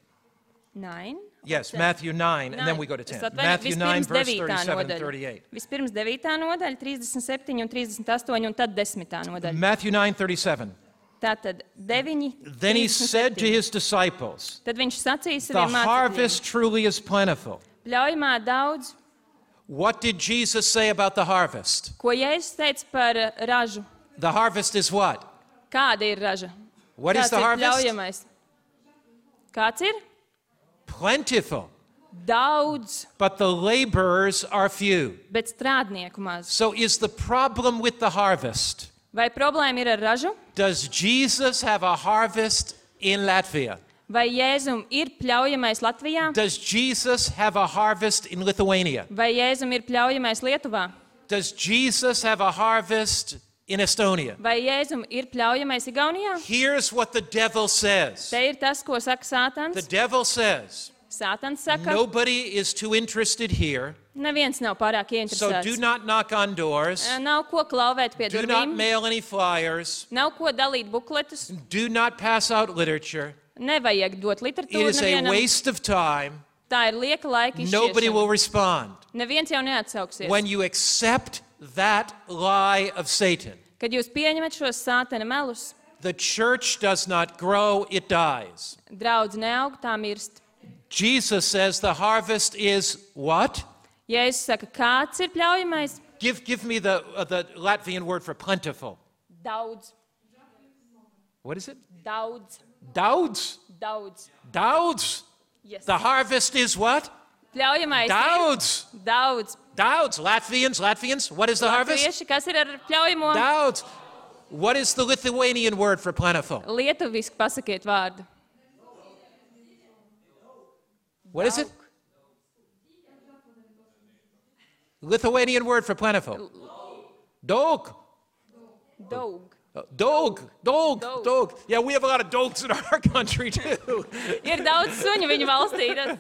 B: 9.
A: Yes, Matthew 9, and then we go to 10. Matthew 9, verse 37 and 38.
B: Vispirms 9. nodaļa, 37 un 38, un tad 10. nodaļa.
A: Matthew 9, 37.
B: Tātad 9.
A: Then he said to
B: 37.
A: his disciples,
B: Tad viņš sacīja
A: the
B: saviem mācekļiem:
A: harvest truly is plentiful.
B: Pļaujamā daudz,
A: What did Jesus say about the harvest?
B: ko Jēzus teica par ražu.
A: The harvest is what?
B: Kāda ir raža?
A: What is
B: Kāds
A: the
B: ir
A: harvest?
B: pļaujamais? Kāds ir?
A: Plentiful.
B: Daudz,
A: But the laborers are few.
B: bet strādnieku maz.
A: So is the problem with the harvest?
B: Vai problēma ir ar ražu?
A: Does Jesus have a harvest in Latvia?
B: Vai Jēzum ir pļaujamais Latvijā?
A: Does Jesus have a harvest in Lithuania?
B: Vai Jēzum ir pļaujamais Lietuvā?
A: Does Jesus have a harvest in Estonia?
B: Vai Jēzum ir pļaujamais Igaunijā?
A: Here's what the devil says.
B: Te ir tas, ko saka
A: The
B: Sātans.
A: devil says,
B: Sātans saka,
A: nobody is too interested here,
B: neviens nav pārāk
A: so do
B: ieinteresēts.
A: not knock on doors,
B: Nav ko klauvēt pie
A: do not
B: durvīm,
A: mail any flyers,
B: nav ko dalīt bukletus,
A: do not pass out literature.
B: nevajag dot
A: It
B: literatūru
A: is a
B: nevienam.
A: waste of time.
B: Tā ir lieka laika
A: Nobody will
B: izšķiešana.
A: respond.
B: Neviens jau neatsauksies.
A: When you accept that lie of Satan,
B: Kad jūs pieņemat šos Sātana melus,
A: the church does not grow, it dies.
B: draudz neaug, tā mirst.
A: Jesus says the harvest is what?
B: Jēzus saka, kāds ir pļaujamais?
A: Give me the Latvian word for plentiful.
B: Daudz,
A: What is it?
B: daudz,
A: Daudz.
B: daudz.
A: Daudz.
B: Yes.
A: The harvest is what?
B: Pļaujamais
A: Daudz.
B: ir daudz.
A: Daudz. Latvians. What is the harvest?
B: Latvieši, kas ir ar pļaujamo?
A: Daudz. What is the Lithuanian word for plentiful?
B: Lietuviski pasakiet vārdu.
A: What is it? Lithuanian word for plentiful. Dog.
B: Daug.
A: Dog. Yeah, we have a lot of dogs in our country too.
B: Ir daudz suņu viņa valstī. tad-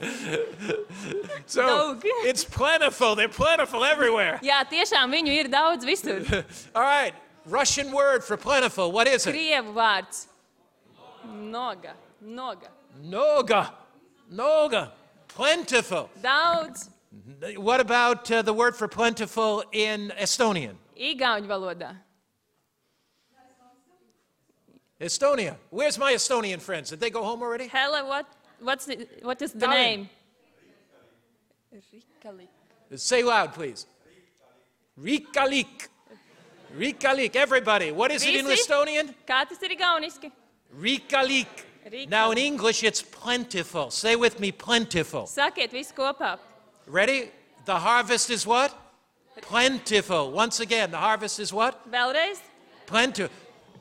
A: So
B: Dog.
A: it's plentiful. They're plentiful everywhere.
B: Jā, tiešām viņu ir daudz visur.
A: All right. Russian word for plentiful. What is it?
B: Krievu vārds. Noga.
A: Noga. Plentiful.
B: Daudz.
A: What about the word for plentiful in Estonian?
B: Igauņu valodā.
A: Estonia. Where's my Estonian friends? Did they go home already?
B: Hella, what is the
A: Tell him.
B: name? Rikali.
A: Say loud, please. Rikalik. Everybody. What is it in
B: Visi?
A: Estonian?
B: Kā tas ir igauniski?
A: Rikalik. Now in English, it's plentiful. Say with me, plentiful.
B: Sakiet visu kopā.
A: Ready? The harvest is what? Plentiful. Once again, the harvest is what?
B: Vēlreiz.
A: Plentiful.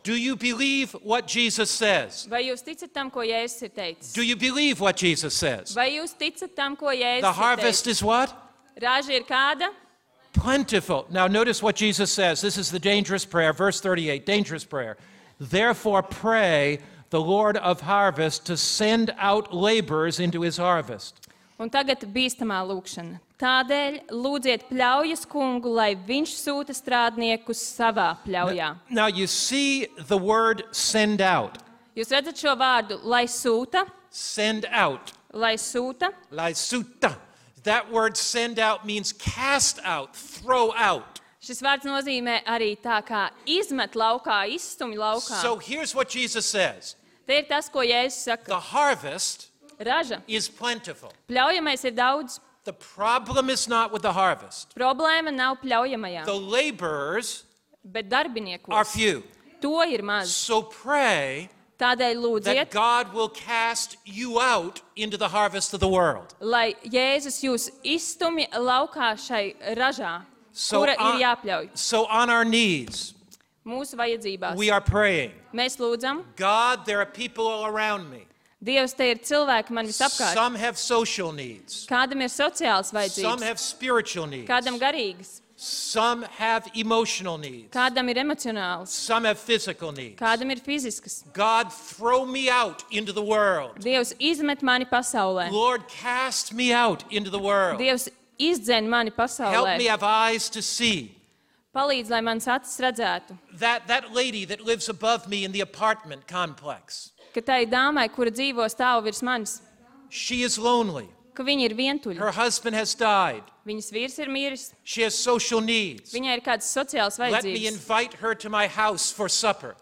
A: Do you believe what Jesus says?
B: Vai jūs ticat tam, ko Jēzus ir teicis?
A: Do you believe what Jesus says?
B: Vai jūs ticat tam, ko Jēzus
A: The
B: ir
A: harvest
B: teicis?
A: is what?
B: Raža ir kāda?
A: Plentiful. Now notice what Jesus says. This is the dangerous prayer, verse 38, dangerous prayer. Therefore pray the Lord of harvest to send out laborers into his harvest.
B: Un tagad bīstamā lūkšana. Tādēļ lūdziet pļaujas kungu, lai viņš sūta strādniekus savā pļaujā.
A: Now you see the word send out.
B: Jūs redzat šo vārdu, lai sūta,
A: Send out.
B: lai sūta.
A: Laisuta. That word send out means cast out, throw out.
B: Šis vārds nozīmē arī tā kā izmet laukā, izstumj laukā.
A: So here's what Jesus says.
B: Te ir tas, ko Jēzus saka.
A: The harvest
B: Raža,
A: is plentiful.
B: pļaujamais ir daudz.
A: The problem is not with the harvest.
B: Problēma nav pļaujamajā,
A: The laborers
B: bet
A: are
B: darbiniekos.
A: few.
B: To ir maz.
A: So pray
B: Tādēļ
A: that
B: lūdziet,
A: God will cast you out into the harvest of the world.
B: lai Jēzus jūs izstumj laukā šai ražā, kura ir jāpļauj
A: So on our knees,
B: mūsu vajadzībās.
A: we are praying.
B: Mēs lūdzam,
A: God, there are people all around me.
B: Dievs, te ir cilvēki man visapkārt.
A: Some have social needs.
B: Kādam ir sociāls
A: Some
B: vajadzības,
A: have spiritual needs.
B: kādam garīgas,
A: Some have emotional needs.
B: kādam ir emocionāls,
A: Some have physical needs.
B: kādam ir fiziskas.
A: God, throw me out into the world.
B: Dievs izmet mani pasaulē.
A: Lord, cast me out into the world.
B: Dievs izdzen mani
A: Help
B: pasaulē.
A: me have eyes to see.
B: Palīdz, lai mans acis redzētu,
A: That lady that lives above me in the apartment complex,
B: ka tai dāmai, kura dzīvo stāv virs manis,
A: she is lonely.
B: ka viņa ir vientuļa.
A: Her husband has died.
B: Viņas vīrs ir miris,
A: She has social needs.
B: viņai ir kādas sociālas
A: Let me
B: vajadzības.
A: invite her to my house for supper.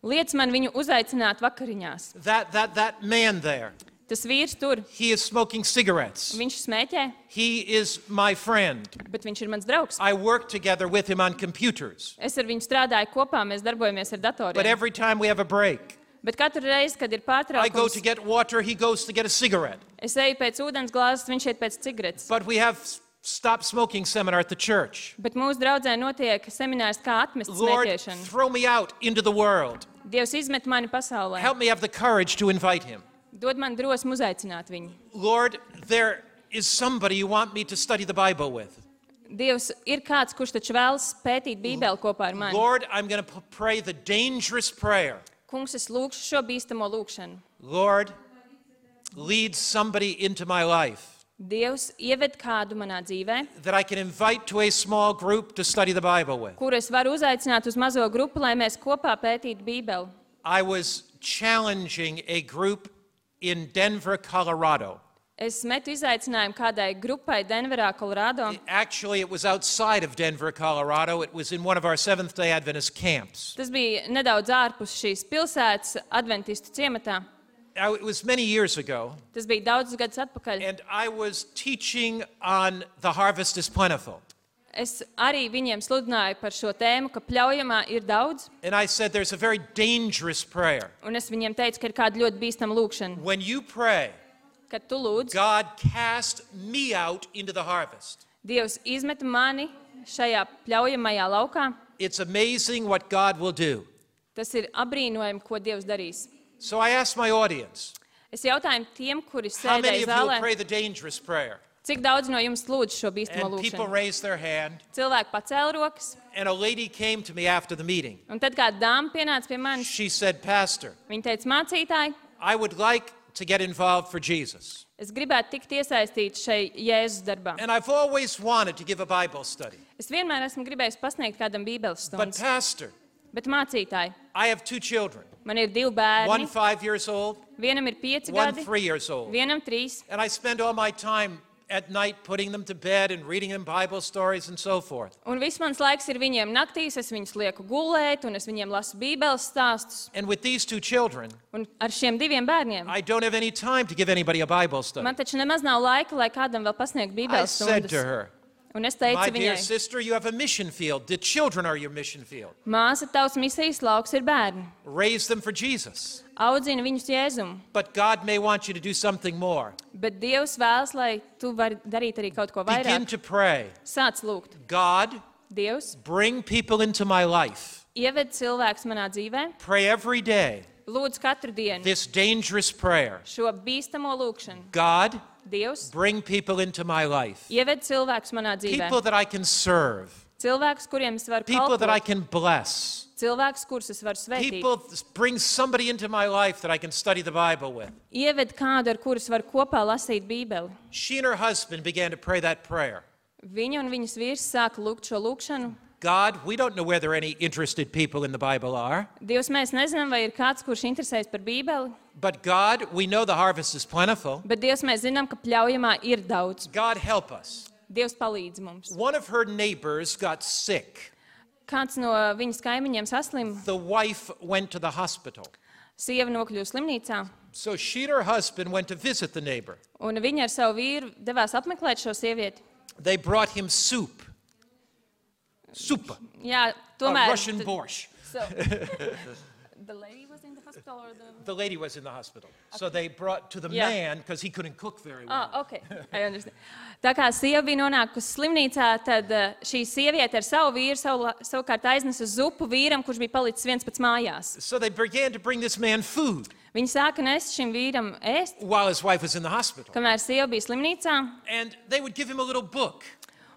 B: Liec man viņu uzaicināt vakariņās.
A: That man there,
B: Tas vīrs tur,
A: he is smoking cigarettes.
B: viņš smēķē,
A: He is my friend.
B: bet viņš ir mans draugs.
A: I work together with him on computers.
B: Es ar viņu strādāju kopā, mēs darbojamies ar
A: But
B: datoriem.
A: every time we have a break,
B: Bet katru reizi, kad ir
A: I go to
B: pārtraukums,
A: get water, he goes to get a cigarette.
B: es eju pēc ūdens glāzes, viņš iet pēc cigaretes.
A: But we have stop smoking seminar at the church.
B: Bet mūsu draudzē notiek seminārs, kā atmest
A: Lord,
B: smēķēšanu.
A: throw me out into the world.
B: Dievs izmet mani pasaulē.
A: Help me have the courage to invite him.
B: Dod man drosmu uzaicināt viņu.
A: Lord, there is somebody you want me to study the Bible with.
B: Dievs ir kāds, kurš taču vēlas pētīt Bībeli kopā ar mani.
A: Lord, I'm going to pray the dangerous prayer.
B: Kungs, es lūgšu šo bīstamo lūgšanu.
A: Lord, lead somebody into my life
B: Dievs ieved kādu manā dzīvē,
A: that I can invite to a small group to study the Bible with.
B: kuru es varu uzaicināt uz mazo grupu, lai mēs kopā pētītu Bībeli.
A: I was challenging a group in Denver, Colorado.
B: Es metu izaicinājumu kādai grupai Denverā, Kolorādo.
A: Actually, it was outside of Denver, Colorado. It was in one of our Seventh-day Adventist camps.
B: Tas bija nedaudz ārpus šīs pilsētas, adventistu ciematā.
A: Now, it was many years ago,
B: Tas bija daudzus gadus atpakaļ.
A: and I was teaching on the harvest is plentiful.
B: Es arī viņiem sludināju par šo tēmu, ka pļaujamā ir daudz,
A: And I said there's a very dangerous prayer.
B: un es viņiem teicu, ka ir kāda ļoti bīstama lūkšana.
A: When you pray,
B: Kad tu lūdz,
A: God cast me out into the harvest.
B: Dievs izmet mani šajā pļaujamajā laukā,
A: It's amazing what God will do.
B: tas ir apbrīnojami, ko Dievs darīs.
A: So I asked my audience,
B: Es jautāju tiem, kuri
A: how many
B: sēdēja
A: of you will
B: zālē,
A: pray the dangerous prayer?
B: cik daudz no jums lūdz šo bīstamo
A: And people
B: lūkšanu.
A: raised their hand,
B: Cilvēki pacēla rokas,
A: and a lady came to me after the meeting.
B: un tad kāda dāma pienāca pie manis.
A: She said, Pastor,
B: Viņa teica, mācītāji,
A: I would like to get involved for Jesus.
B: es gribētu tikt iesaistīta šai Jēzus darbā.
A: And I've always wanted to give a Bible study.
B: Es vienmēr esmu gribējis pasniegt kādam bībeles
A: But
B: stundas,
A: Pastor,
B: bet mācītāji,
A: I have two children,
B: man ir 2
A: one
B: bērni,
A: 5 years old,
B: vienam ir 5
A: one
B: gadi,
A: 3 years old.
B: vienam 3,
A: And I spend all my time at night putting them to bed and reading them Bible stories and so forth.
B: un viss mans laiks ir viņiem naktīs, es viņus lieku gulēt, un es viņiem lasu bībeles stāstus,
A: And with these two children,
B: un ar šiem 2 bērniem.
A: I don't have any time to give anybody a Bible study.
B: Man taču nemaz nav laika, lai kādam vēl pasniegtu
A: I
B: bībeles
A: said to
B: stundas.
A: her,
B: Un es
A: my
B: teicu
A: dear
B: viņai,
A: sister, you have a mission field. The children are your mission field.
B: māsa, tavs misijas lauks ir bērni.
A: Raise them for Jesus.
B: Audzini viņus Jēzumu,
A: But God may want you to do something more.
B: bet Dievs vēlas, lai tu vari darīt arī kaut ko
A: Begin
B: vairāk.
A: to pray.
B: Sāc lūgt.
A: God,
B: Dievs,
A: bring people into my life.
B: ieved cilvēks manā dzīvē,
A: Pray every day
B: lūdz katru dienu
A: this dangerous prayer.
B: šo bīstamo lūkšanu.
A: God,
B: Dievs,
A: bring people into my life.
B: ieved cilvēks manā dzīvē.
A: People that I can serve.
B: Cilvēks, kuriem es varu
A: People that I
B: kalpot.
A: can bless.
B: Cilvēks, kurus es varu svētīt.
A: People, bring somebody into my life that I can study the Bible with.
B: Ieved kādu, ar kurus var kopā lasīt Bībeli.
A: She and her husband began to pray that prayer.
B: Viņa un viņas vīrs sāka lūgt šo lūkšanu.
A: God, we don't know whether any interested people in the Bible are,
B: Dievs, mēs nezinām, vai ir kāds, kurš interesējas par Bībeli,
A: but God, we know the harvest is plentiful.
B: bet Dievs, mēs zinām, ka pļaujamā ir daudz.
A: God, help us.
B: Dievs palīdz mums.
A: One of her neighbors got sick.
B: Kāds no viņas kaimiņiem saslima,
A: The wife went to the hospital.
B: Sieva nokļuva slimnīcā,
A: So she and her husband went to visit the neighbor.
B: un viņa ar savu vīru devās apmeklēt šo sievieti.
A: They brought him soup. Supa.
B: Jā, tomēr...
A: Russian borscht.
B: So, the lady was in the hospital or the...
A: The lady was in the hospital. So they brought to the
B: Yeah.
A: man, because he couldn't cook very well.
B: Okay. I understand. Tā kā sieva bija nonākusi slimnīcā, tad šī sieviete ar savu vīru savukārt aiznesa zupu vīram, kurš bija palicis viens pats mājās.
A: So they began to bring this man food
B: Viņa sāka nest šim vīram ēst,
A: while his wife was in the hospital.
B: kamēr sieva bija slimnīcā,
A: And they would give him a little book.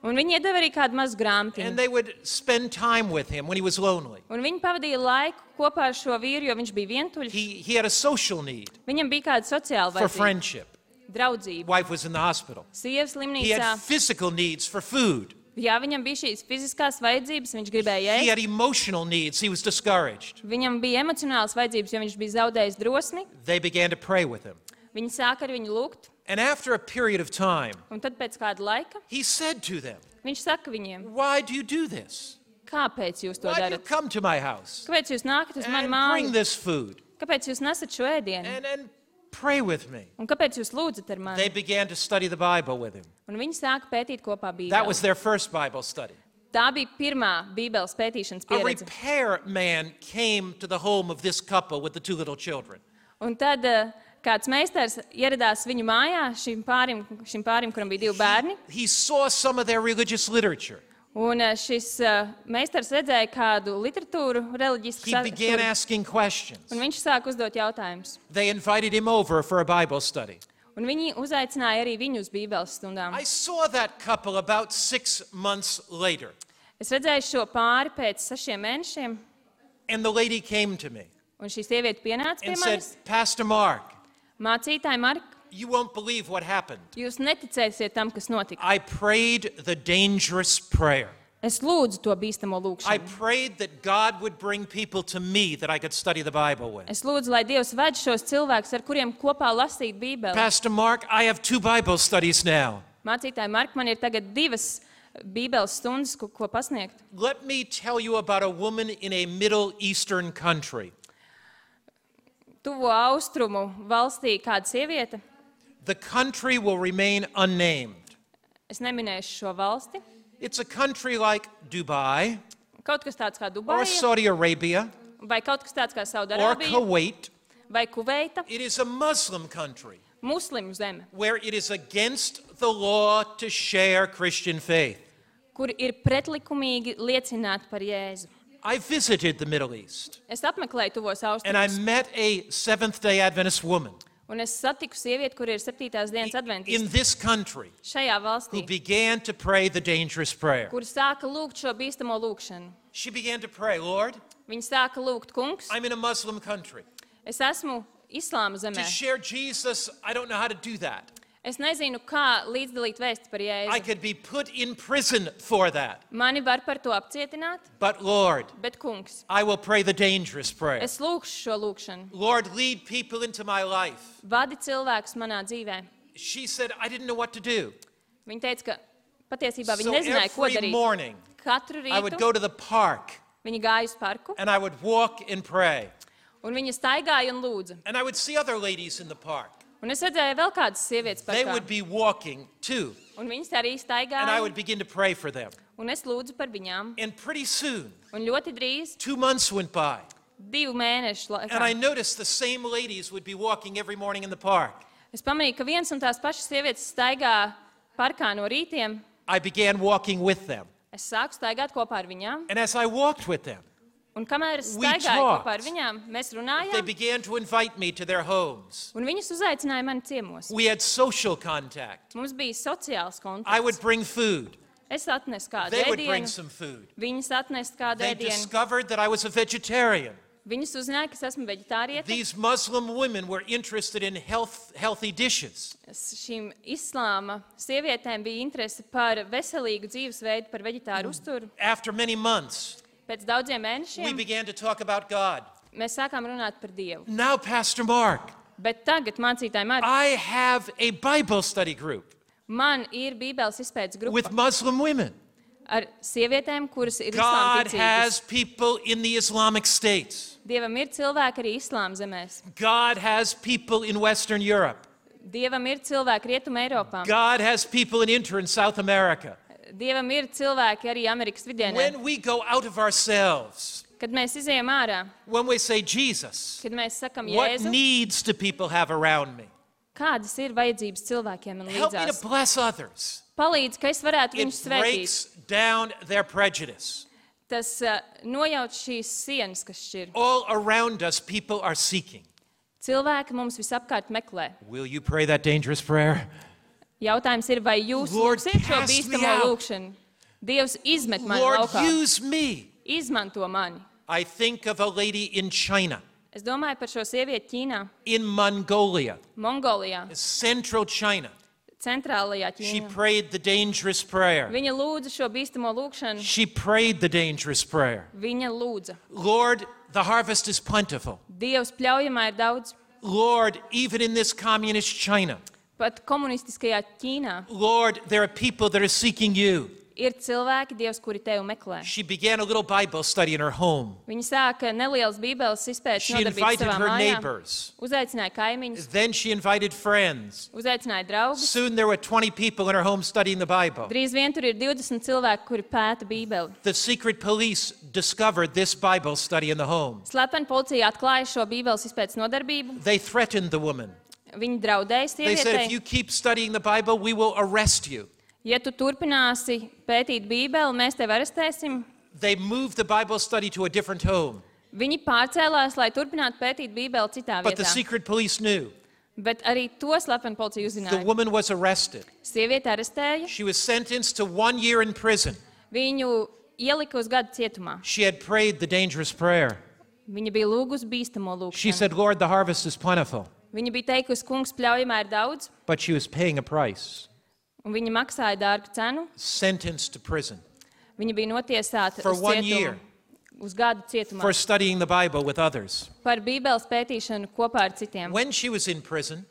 B: un viņi iedeva arī kādu mazu
A: And
B: grāmatiņu.
A: they would spend time with him when he was lonely.
B: Un viņi pavadīja laiku kopā ar šo vīru, jo viņš bija vientuļš.
A: He had a social need
B: Viņam bija kāda sociāla
A: for
B: vajadzība,
A: friendship.
B: draudzība,
A: Wife was in the hospital.
B: sieva
A: He
B: slimnīcā.
A: had physical needs for food.
B: Jā, viņam bija šīs fiziskās vajadzības, viņš gribēja
A: He
B: ēst.
A: had emotional needs. He was discouraged.
B: Viņam bija emocionālas vajadzības, jo viņš bija zaudējis drosmi.
A: They began to pray with him.
B: Viņi sāka ar viņu lūgt,
A: And after a period of time,
B: un tad pēc kāda laika
A: he said to them,
B: viņš saka viņiem,
A: "Why do you do this?
B: kāpēc jūs to
A: Why do you
B: darat?
A: come to my house
B: Kāpēc jūs nākat uz mani
A: and bring
B: māju?
A: this food
B: Kāpēc jūs nesat šo ēdienu?
A: and pray with me?"
B: Un kāpēc jūs lūdzat ar
A: They
B: mani?
A: began to study the Bible with him.
B: Un viņi sāka pētīt kopā
A: That was
B: Bībeli.
A: their first Bible study.
B: Tā bija pirmā Bībeles pētīšanas
A: A
B: pieredze.
A: repair man came to the home of this couple with the two little children.
B: Un tad kāds meistars ieradās viņu mājā, šim pārim, kuram bija 2 bērni.
A: He saw some of their religious literature.
B: Un šis meistars redzēja kādu literatūru, reliģisku
A: He began
B: saturu,
A: asking questions.
B: un viņš sāka uzdot jautājumus.
A: They invited him over for a Bible study.
B: Un viņi uzaicināja arī viņu uz Bībeles stundām.
A: I saw that couple about 6 months later,
B: Es redzēju šo pāri pēc 6 mēnešiem,
A: and the lady came to me
B: un šī sieviete pienāca pie
A: and said,
B: manis.
A: "Pastor Mark,
B: Mācītāji, Mark,
A: you won't believe what happened.
B: jūs neticēsiet tam, kas notika.
A: I prayed the dangerous prayer.
B: Es lūdzu to bīstamo
A: I
B: lūgšanu.
A: prayed that God would bring people to me that I could study the Bible with.
B: Es lūdzu, lai Dievs ved šos cilvēkus, ar kuriem kopā lasīt Bībeli.
A: Pastor Mark, I have 2 Bible studies now.
B: Mācītāji, Mark, man ir tagad 2 Bībeles stundas, ko pasniegt.
A: Let me tell you about a woman in a Middle Eastern country.
B: Tuvo austrumu valstī kāda sieviete,
A: The country will remain unnamed.
B: es neminēšu šo valsti,
A: It's a country like Dubai
B: kaut kas tāds kā
A: or
B: Dubaja,
A: Saudi Arabia
B: vai kaut kas tāds kā
A: or
B: Saudarābija,
A: Kuwait.
B: vai Kuveita,
A: It is a Muslim country
B: muslimu zeme,
A: where it is against the law to share Christian faith.
B: kur ir pretlikumīgi liecināt par Jēzu.
A: I visited the Middle East
B: Es apmeklēju tuvos
A: and I
B: austrumus,
A: met a Seventh-day Adventist woman
B: un es satiku sievieti, kur ir 7. dienas
A: in
B: adventisti
A: this country
B: šajā
A: who
B: valstī,
A: began to pray the dangerous prayer.
B: kur sāka lūgt šo bīstamo lūgšanu.
A: She began to pray, "Lord,
B: Viņi sāka lūgt, kungs,
A: I'm in a Muslim country.
B: es esmu islāma
A: To
B: zemē.
A: share Jesus, I don't know how to do that.
B: Es nezinu, kā līdzdalīt vēsti par
A: I
B: Jēzu.
A: could be put in prison for that.
B: Mani var par to apcietināt,
A: But Lord,
B: bet kungs,
A: I will pray the dangerous prayer.
B: es lūgšu šo lūgšanu.
A: Lord, lead people into my life."
B: Vadi cilvēkus manā dzīvē.
A: She said, "I didn't know what to do."
B: Viņa teica, ka patiesībā
A: So
B: viņa nezināja, ko
A: every
B: darīt.
A: morning,
B: Katru
A: I would
B: rītu
A: go to the park
B: viņa gāja uz parku,
A: and I would walk and pray.
B: un viņa staigāja un lūdza.
A: And I would see other ladies in the park.
B: Un es redzēju vēl kādas sievietes
A: They
B: parkā,
A: would be walking too.
B: un viņas arī
A: And I would
B: staigāja,
A: begin to pray for them.
B: un es lūdzu par viņām.
A: And pretty soon,
B: Un ļoti drīz,
A: 2 months went by.
B: 2 mēnešu
A: And I
B: laikā,
A: noticed the same ladies would be walking every morning in the park.
B: es pamanīju, ka viens un tās pašas sievietes staigā parkā no rītiem.
A: I began walking with them.
B: Es sāku staigāt kopā ar viņām,
A: And as I walked with them,
B: un kamēr es
A: We
B: staigāju
A: talked.
B: kopā ar viņām, mēs
A: they
B: runājām,
A: began to invite me to their homes.
B: un viņas uzaicināja mani ciemos.
A: We had social contact.
B: Mums bija sociāls
A: I would
B: kontakts.
A: bring food.
B: Es atnesu kādu
A: They would bring
B: ēdienu,
A: some food.
B: viņas atnesa kādu
A: They
B: ēdienu.
A: discovered that I was a vegetarian.
B: Viņas uzzināja, ka es esmu veģetāriete.
A: These Muslim women were interested in healthy dishes.
B: Šīm islāma sievietēm bija interese par veselīgu dzīvesveidu, par veģetāru uzturu.
A: After many months,
B: Pēc daudziem
A: we
B: mēnešiem
A: began to talk about God.
B: mēs sākām runāt par Dievu.
A: Now, Pastor Mark,
B: Bet tagad, mācītāji,
A: I have a Bible study group
B: man ir Bībeles izpētes
A: with
B: grupa
A: Muslim women.
B: ar sievietēm, kuras ir
A: God
B: islāma
A: has
B: ticīgas.
A: people in the Islamic states.
B: Dievam ir cilvēki arī islāma zemēs.
A: God has people in Western Europe.
B: Dievam ir cilvēki Rietuma Eiropā.
A: God has people in Inter and South America.
B: Dievam ir cilvēki arī Amerikas vidienē.
A: When we go out of ourselves,
B: Kad mēs izejam ārā,
A: when we say, Jesus,
B: kad mēs sakam
A: what
B: Jēzu,
A: needs do people have around me?
B: kādas ir vajadzības cilvēkiem man
A: Help me to
B: līdzās?
A: bless others.
B: Palīdz, ka es varētu
A: It
B: viņus svētīt.
A: breaks down their prejudice.
B: Tas nojauc šīs sienas, kas šķir.
A: All around us, people are seeking.
B: Cilvēki mums visapkārt meklē.
A: Will you pray that dangerous prayer?
B: Jautājums ir, vai jūs
A: Lord,
B: lūksiet šo
A: cast me
B: bīstamo
A: out.
B: lūkšanu? Dievs izmet mani
A: Lord,
B: laukā.
A: use me.
B: Izmanto mani.
A: I think of a lady in China,
B: Es domāju par šo sievieti Ķīnā,
A: in Mongolia,
B: Mongolijā,
A: central China.
B: centrālajā
A: She
B: Ķīnā.
A: prayed the dangerous prayer.
B: Viņa lūdza šo bīstamo lūkšanu.
A: She prayed the dangerous prayer.
B: Viņa lūdza.
A: Lord, the harvest is plentiful.
B: Dievs pļaujamā ir daudz.
A: Lord, even in this communist China,
B: Pat komunistiskajā Ķīnā
A: Lord, there are people that are seeking you.
B: ir cilvēki, Dievs, kuri tevi meklē.
A: She began a little Bible study in her home.
B: Viņa sāka nelielas bībeles izpētes
A: She
B: nodarbības
A: invited
B: savā
A: her
B: mājā.
A: neighbors.
B: Uzaicināja kaimiņus,
A: Then she invited friends.
B: uzaicināja draugus.
A: Soon there were 20 people in her home studying the Bible.
B: Drīz vien tur ir 20 cilvēki, kuri pēta bībeli.
A: The secret police discovered this Bible study in the home.
B: Slepeni policija atklāja šo bībeles izpētes nodarbību.
A: They threatened the woman.
B: Viņi draudēja
A: They said, if
B: sievietei.
A: you keep studying the Bible, we will arrest you.
B: Ja tu turpināsi pētīt bībeli, mēs tevi arestēsim.
A: They moved the Bible study to a different home.
B: Viņi pārcēlās, lai turpinātu pētīt bībeli citā
A: But the
B: vietā.
A: secret police knew.
B: Bet arī to slepeni policija
A: The
B: uzzināja.
A: woman was arrested.
B: Sieviete arestēja,
A: She was sentenced to 1 year in prison.
B: viņu ielika uz gadu cietumā.
A: She had prayed the dangerous prayer.
B: Viņa bija lūgusi bīstamo
A: She
B: lūgšanu.
A: said, Lord, the harvest is plentiful.
B: Viņa bija teikusi, kungs, pļaujamā ir daudz,
A: But she was paying a price.
B: un viņa maksāja dārgu cenu.
A: Sentenced to prison
B: Viņa bija notiesāta
A: For
B: uz
A: 1
B: cietumu,
A: year.
B: uz gadu cietumā
A: for studying the Bible with others.
B: par bībeles pētīšanu kopā ar citiem.
A: When she was in prison,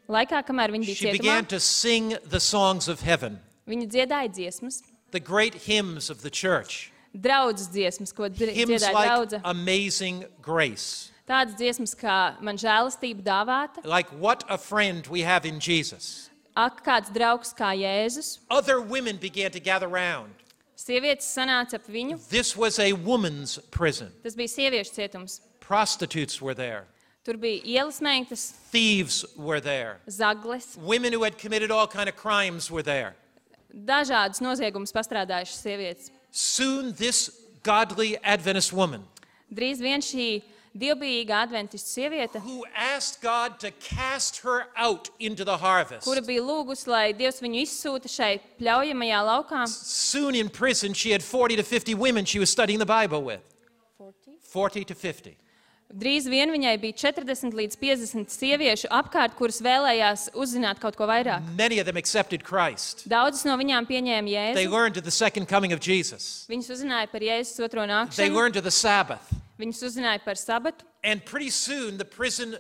B: Laikā, kamēr viņa bija
A: she
B: cietumā,
A: began to sing the songs of heaven,
B: viņa dziedāja dziesmas,
A: the great hymns of the church.
B: draudzes dziesmas, ko
A: Hymns
B: dziedāja
A: like
B: draudze.
A: Amazing Grace,
B: Tādas dziesmas kā man žēlastība dāvāta,
A: like What a Friend We Have in Jesus.
B: ak, kāds draugs kā Jēzus.
A: Other women began to gather round.
B: Sievietes sanāca ap viņu.
A: This was a woman's prison.
B: Tas bija sieviešu cietums.
A: Prostitutes were there.
B: Tur bija ielas meiktas,
A: Thieves were there.
B: zagles,
A: Women who had committed all kind of crimes were there.
B: dažādas noziegumus pastrādājušas sievietes.
A: Soon this godly Adventist woman
B: Drīz vien šī dievbijīga adventistu sieviete,
A: who asked God to cast her out into the harvest.
B: kura bija lūgusi, lai Dievs viņu izsūta šai pļaujamajā laukā.
A: Soon in prison, she had 40 to 50 women she was studying the Bible with. 40 to 50.
B: Drīz vien viņai bija 40 līdz 50 sieviešu apkārt, kuras vēlējās uzzināt kaut ko vairāk.
A: Many of them accepted Christ.
B: Daudzas no viņām pieņēma
A: They
B: Jēzu.
A: learned of the second coming of Jesus.
B: Viņas uzzināja par Jēzus otro
A: They
B: nākšanu,
A: learned of the Sabbath.
B: viņas uzzināja par sabatu.
A: And pretty soon, the prison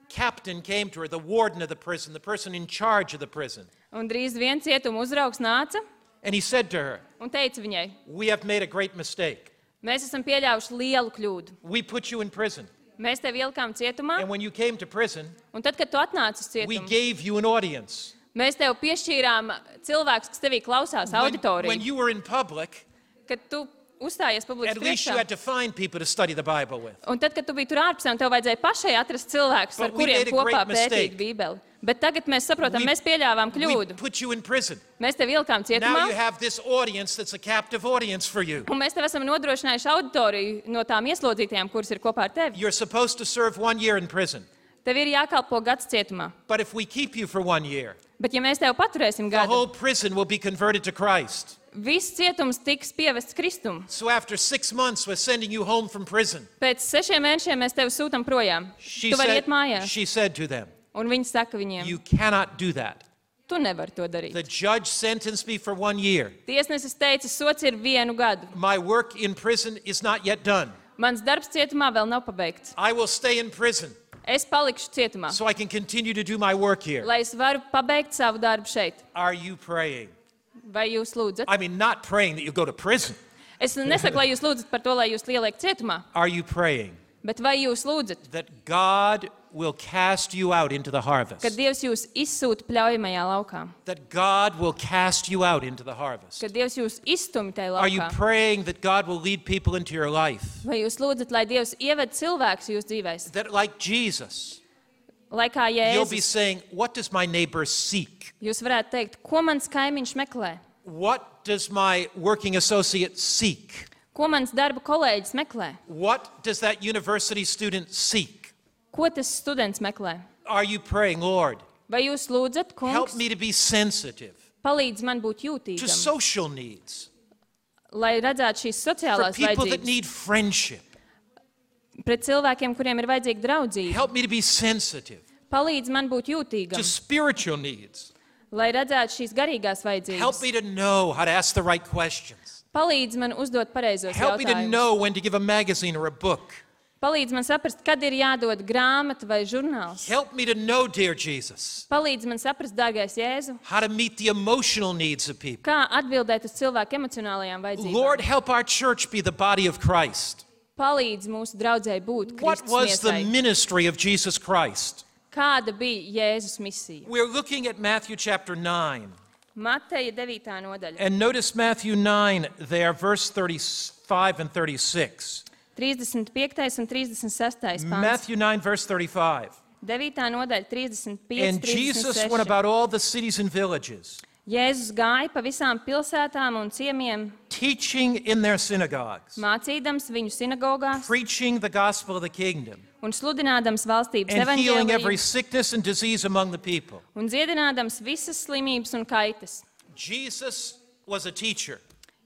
A: captain came to her, the warden of the prison, the person in charge of the prison.
B: Un drīz vien cietuma uzraugs nāca
A: And he said to her,
B: un teica viņai,
A: we have made a great mistake.
B: mēs esam pieļāvuši lielu kļūdu.
A: We put you in prison.
B: Mēs tevi ielikām cietumā,
A: And when you came to prison,
B: un tad, kad tu atnāci uz
A: we
B: cietumu,
A: gave you an audience.
B: mēs tev piešķīrām cilvēkus, kas tevī klausās
A: When
B: auditoriju.
A: you were in public,
B: Kad tu uzstājies publikas
A: at least you
B: priekšā,
A: had to find people to study the Bible with.
B: un tad, kad tu biji tur ārpusē, un tev vajadzēja pašai atrast cilvēkus, ar
A: But we
B: kuriem
A: made a
B: kopā
A: great
B: pētīt
A: mistake.
B: Bībeli. Bet tagad mēs saprotam,
A: We-
B: mēs pieļāvām
A: We
B: kļūdu.
A: put you in prison.
B: Mēs tevi ielikām
A: Now you
B: cietumā,
A: have this audience that's a captive audience for you.
B: un mēs tev esam nodrošinājuši auditoriju no tām ieslodzītajām, kuras ir kopā ar tevi.
A: You're supposed to serve 1 year in prison.
B: Tev ir jākalpo gads cietumā.
A: But if we keep you for 1 year,
B: Bet ja mēs tev paturēsim
A: the
B: gadu,
A: whole prison will be converted to Christ.
B: viss cietums tiks pievests Kristum.
A: So after 6 months, we're sending you home from prison.
B: Pēc 6 mēnešiem mēs tevi sūtam projām.
A: She
B: Tu vari iet mājās.
A: she said to them,
B: Un viņi saka viņiem,
A: you cannot do that.
B: tu nevari to darīt.
A: The judge sentenced me for 1 year.
B: Tiesnesis teica, sots ir 1 gadu.
A: My work in prison is not yet done.
B: Mans darbs cietumā vēl nav pabeigts.
A: I will stay in prison
B: Es palikšu cietumā,
A: so I can continue to do my work here.
B: lai es varu pabeigt savu darbu šeit.
A: Are you praying?
B: Vai jūs lūdzat?
A: I mean, not praying that you go to prison.
B: Es nesaku, lai jūs lūdzat par to, lai jūs lieliek cietumā,
A: Are you praying
B: bet vai jūs lūdzat,
A: that God will cast you out into the harvest?
B: kad Dievs jūs izsūta pļaujamajā laukā,
A: That God will cast you out into the harvest?
B: kad Dievs jūs izstumj tajā
A: Are you
B: laukā?
A: praying that God will lead people into your life?
B: Vai jūs lūdzat, lai Dievs ieved cilvēkus jūsu dzīvēs?
A: That, like Jesus,
B: Lai kā
A: you'll be
B: Jēzus,
A: saying, what does my neighbor seek?
B: jūs varētu teikt, ko mans kaimiņš meklē?
A: What does my working associate seek?
B: Ko mans darba kolēģis meklē?
A: What does that university student seek?
B: Ko tas students meklē?
A: Are you praying, Lord,
B: Vai jūs lūdzat,
A: help
B: kungs,
A: me to be sensitive
B: palīdz man būt
A: to
B: jūtīgam,
A: social needs,
B: lai redzētu šīs
A: for
B: sociālās
A: people that
B: vajadzības
A: need friendship.
B: pret cilvēkiem, kuriem ir vajadzīga draudzība?
A: Help me to be sensitive
B: Palīdz man būt
A: to
B: jūtīgam,
A: spiritual needs.
B: lai redzētu šīs garīgās
A: Help
B: vajadzības.
A: me to know how to ask the right questions.
B: Palīdz man uzdot pareizos
A: Help me to
B: jautājumus.
A: know when to give a magazine or a book.
B: Palīdz man saprast, kad ir jādod grāmata vai žurnāls.
A: Help me to know, dear Jesus,
B: Palīdz man saprast, dārgais Jēzu,
A: how to meet the emotional needs of people.
B: kā atbildēt uz cilvēku emocionālajām
A: Lord,
B: vajadzībām.
A: help our church be the body of Christ.
B: Palīdz mūsu draudzēji būt
A: What
B: Kristus
A: was the
B: miesai.
A: ministry of Jesus Christ?
B: Kāda bija Jēzus misija?
A: We're looking at Matthew chapter 9.
B: Mateja 9. nodaļa.
A: And notice Matthew 9 there, verse 35 and 36.
B: 35. un 36. pāns.
A: Matthew 9, verse 35.
B: 9. nodaļa 35.
A: And Jesus went
B: 36.
A: about all the cities and villages,
B: Jēzus gāja pa visām pilsētām un ciemiemiem,
A: teaching in their synagogues,
B: mācīdams viņu sinagogās
A: preaching the gospel of the kingdom,
B: un sludinādams valstības
A: and healing every
B: evaņģēliju
A: sickness and disease among the people.
B: un dziedinādams visas slimības un kaitas.
A: Jesus was a teacher.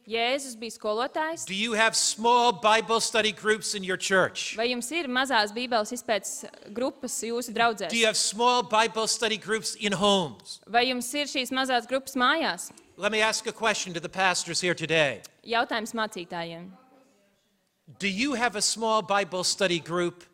B: Jēzus bija skolotājs.
A: Do you have small Bible study groups in your church?
B: Vai jums ir mazās bībeles izpētes grupas jūsu draudzēs?
A: Do you have small Bible study groups in homes?
B: Vai jums ir šīs mazās grupas mājās?
A: Let me ask a question to the pastors here today.
B: Jautājums mācītājiem.
A: Do you have a small Bible study group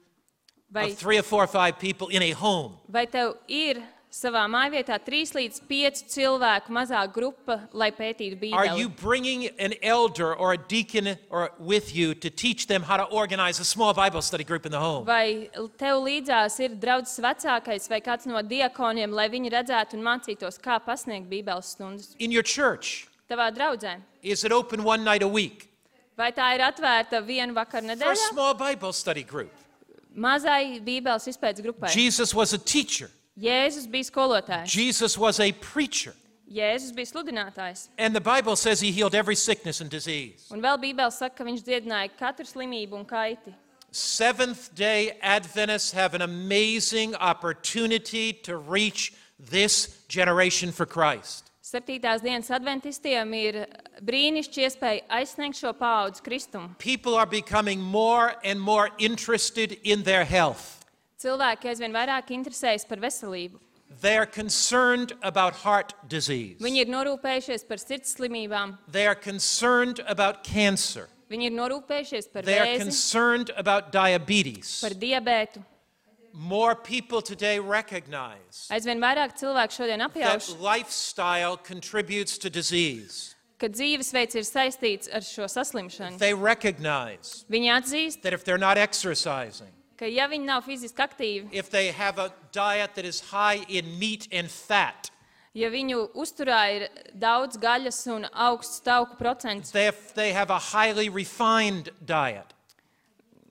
B: Vai,
A: of 3 or 4 or 5 people in a home?
B: vai tev ir savā mājvietā 3 līdz 5 cilvēku mazā grupa, lai pētītu
A: Are you
B: bībeli?
A: bringing an elder or a deacon or with you to teach them how to organize a small Bible study group in the home?
B: Vai tev līdzās ir draudzes vecākais vai kāds no diakoniem, lai viņi redzētu un mācītos, kā pasniegt bībeles stundas?
A: In your church,
B: Tavā draudzē.
A: is it open one night a week
B: Vai tā ir atvērta vienu vakaru
A: for a
B: nedēļā?
A: small Bible study group?
B: Mazai bībeles izpētes grupai.
A: Jesus was a teacher.
B: Jēzus bija skolotājs.
A: Jesus was a preacher.
B: Jēzus bija sludinātājs.
A: And the Bible says he healed every sickness and disease.
B: Un vēl Bībele saka, ka viņš dziedināja katru slimību un kaiti.
A: Seventh-day Adventists have an amazing opportunity to reach this generation for Christ.
B: 7. dienas adventistiem ir brīnišķīga iespēja aizsniegt šo paudzi Kristumu.
A: People are becoming more and more interested in their health.
B: Cilvēki aizvien vairāk interesējas par veselību.
A: They are concerned about heart disease.
B: Viņi ir norūpējušies par sirds slimībām.
A: They are concerned about cancer.
B: Viņi ir norūpējušies par
A: They are
B: vēzi,
A: concerned about diabetes.
B: par diabētu.
A: More people today recognize
B: Aizvien vairāk cilvēku šodien
A: that
B: apjauš,
A: lifestyle contributes to disease.
B: ka dzīvesveids ir saistīts ar šo saslimšanu.
A: They recognize
B: Viņi atzīst,
A: that if they're not exercising,
B: ka ja viņi nav fiziski aktīvi,
A: if they have a diet that is high in meat and fat,
B: ja viņu uzturā ir daudz gaļas un augsts tauku procents,
A: if they have a highly refined diet,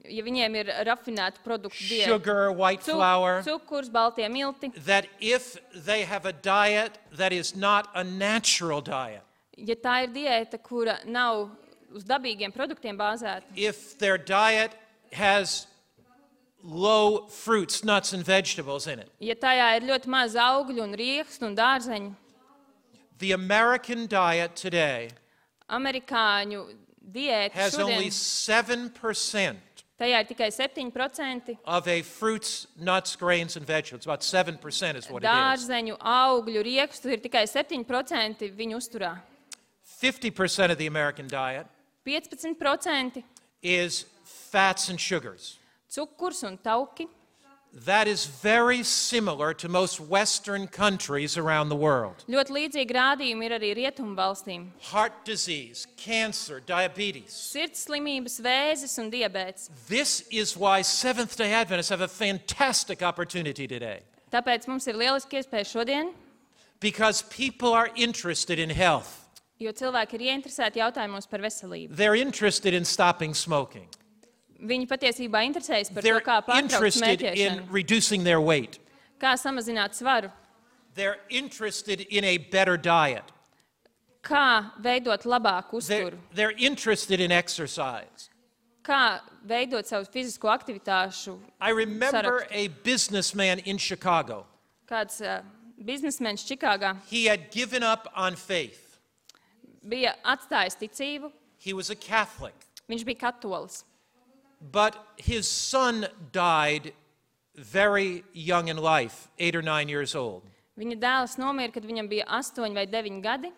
B: ja viņiem ir rafinēta produktu diēta,
A: sugar, white flour,
B: cukurs, baltie milti,
A: that if they have a diet that is not a natural diet,
B: ja tā ir diēta, kura nav uz dabīgiem produktiem bāzēta,
A: if their diet has low fruits, nuts, and vegetables in it,
B: ja tajā ir ļoti maz augļu un riekstu un dārzeņu,
A: the American diet today
B: amerikāņu diēta
A: has only
B: šodien,
A: 7%
B: tajā ir tikai 7%
A: of a fruits, nuts, grains, and vegetables. About 7% is what it is.
B: dārzeņu, augļu, riekstu, ir tikai 7% viņu uzturā.
A: 50% of the American diet
B: 15%
A: is fats and sugars.
B: cukurs un tauki,
A: That is very similar to most Western countries around the world.
B: Ļoti līdzīgi rādījumi ir arī rietumu valstīm.
A: Heart disease, cancer, diabetes.
B: Sirds slimības, vēzis un diabēts.
A: This is why Seventh-day Adventists have a fantastic opportunity today.
B: Tāpēc mums ir lieliski iespēja šodien,
A: Because people are interested in health.
B: jo cilvēki ir ieinteresēti jautājumos par veselību.
A: They're interested in stopping smoking.
B: Viņi patiesībā interesējas par to,
A: They're
B: kā pārtraukt
A: interested in
B: smēķēšanu,
A: reducing their weight.
B: kā samazināt svaru,
A: They're interested in a better diet.
B: kā veidot labāku uzturu,
A: They're interested in exercise.
B: kā veidot savu fizisko aktivitāšu.
A: I remember
B: Sarakstu.
A: a businessman in Chicago.
B: Kāds biznesmenis Čikāgā
A: He had given up on faith.
B: bija atstājis ticību,
A: He was a Catholic.
B: viņš bija katolis.
A: But his son died very young in life, 8 or 9 years old.
B: Viņa dēls nomira, kad viņam bija 8 vai 9 gadi.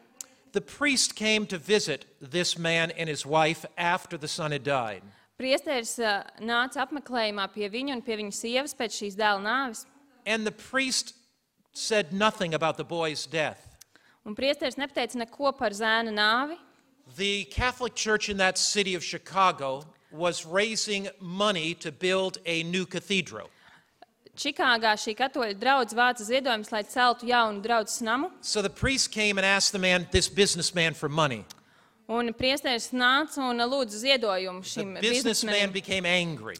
A: The priest came to visit this man and his wife after the son had died.
B: Priesteris nāca apmeklējumā pie viņa un pie viņa sievas pēc šīs dēla nāves.
A: And the priest said nothing about the boy's death.
B: Un priesteris nepateica neko par zēna nāvi.
A: The Catholic Church in that city of Chicago was raising money to build a new cathedral.
B: Čikāgā šī katoļa draudze vāca ziedojumus, lai celtu jaunu draudzes namu.
A: So the priest came and asked this businessman for money.
B: Un priesteris nāca un lūdza ziedojumu
A: The
B: šim
A: businessman
B: biznesmenim.
A: became angry.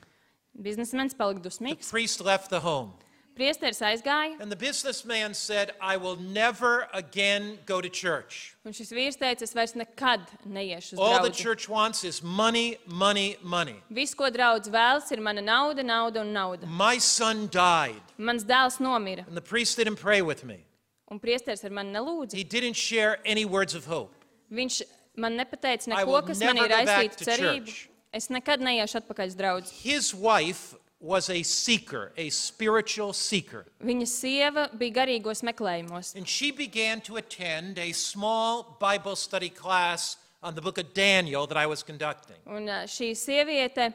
B: Biznesmenis palika
A: The
B: dusmīgs.
A: priest left the home.
B: Priesteris aizgāja,
A: And the businessman said, I will never again go to church.
B: un šis vīrs teica, es vairs nekad neiešu uz
A: All the
B: draudzi.
A: church wants is money, money, money.
B: Viss, ko draudz vēlas, ir mana nauda, nauda un nauda.
A: My son died.
B: Mans dēls nomira,
A: And the priest didn't pray with me.
B: un priesteris ar mani nelūdza.
A: He didn't share any words of hope.
B: Viņš man nepateica
A: I will
B: neko, kas
A: never
B: man ir
A: go back
B: aizsīta
A: to
B: cerību.
A: church.
B: Es nekad neiešu atpakaļ uz draudzi.
A: His wife was a seeker, a spiritual seeker.
B: Viņa sieva bija garīgos meklējumos.
A: And she began to attend a small Bible study class on the book of Daniel that I was conducting.
B: Un šī sieviete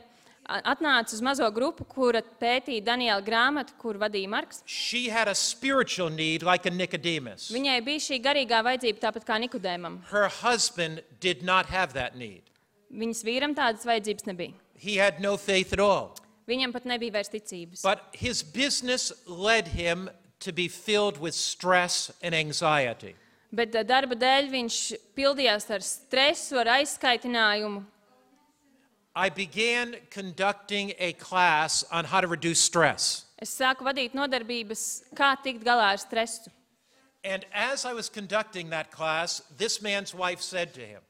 B: atnāca uz mazo grupu, kura pētīja Daniela grāmatu, kur vadīja Marks.
A: She had a spiritual need like a Nicodemus.
B: Viņai bija šī garīgā vajadzība tāpat kā Nikodēmam.
A: Her husband did not have that need.
B: Viņas vīram tādas vajadzības nebija.
A: He had no faith at all.
B: Viņam pat nebija vairs ticības.
A: But his business led him to be filled with stress and anxiety.
B: Bet darba dēļ viņš pildījās ar stresu, ar aizskaitinājumu.
A: I began conducting a class on how to reduce stress.
B: Es sāku vadīt nodarbības, kā tikt galā ar stresu.
A: And as I was conducting that class, this man's wife said to him,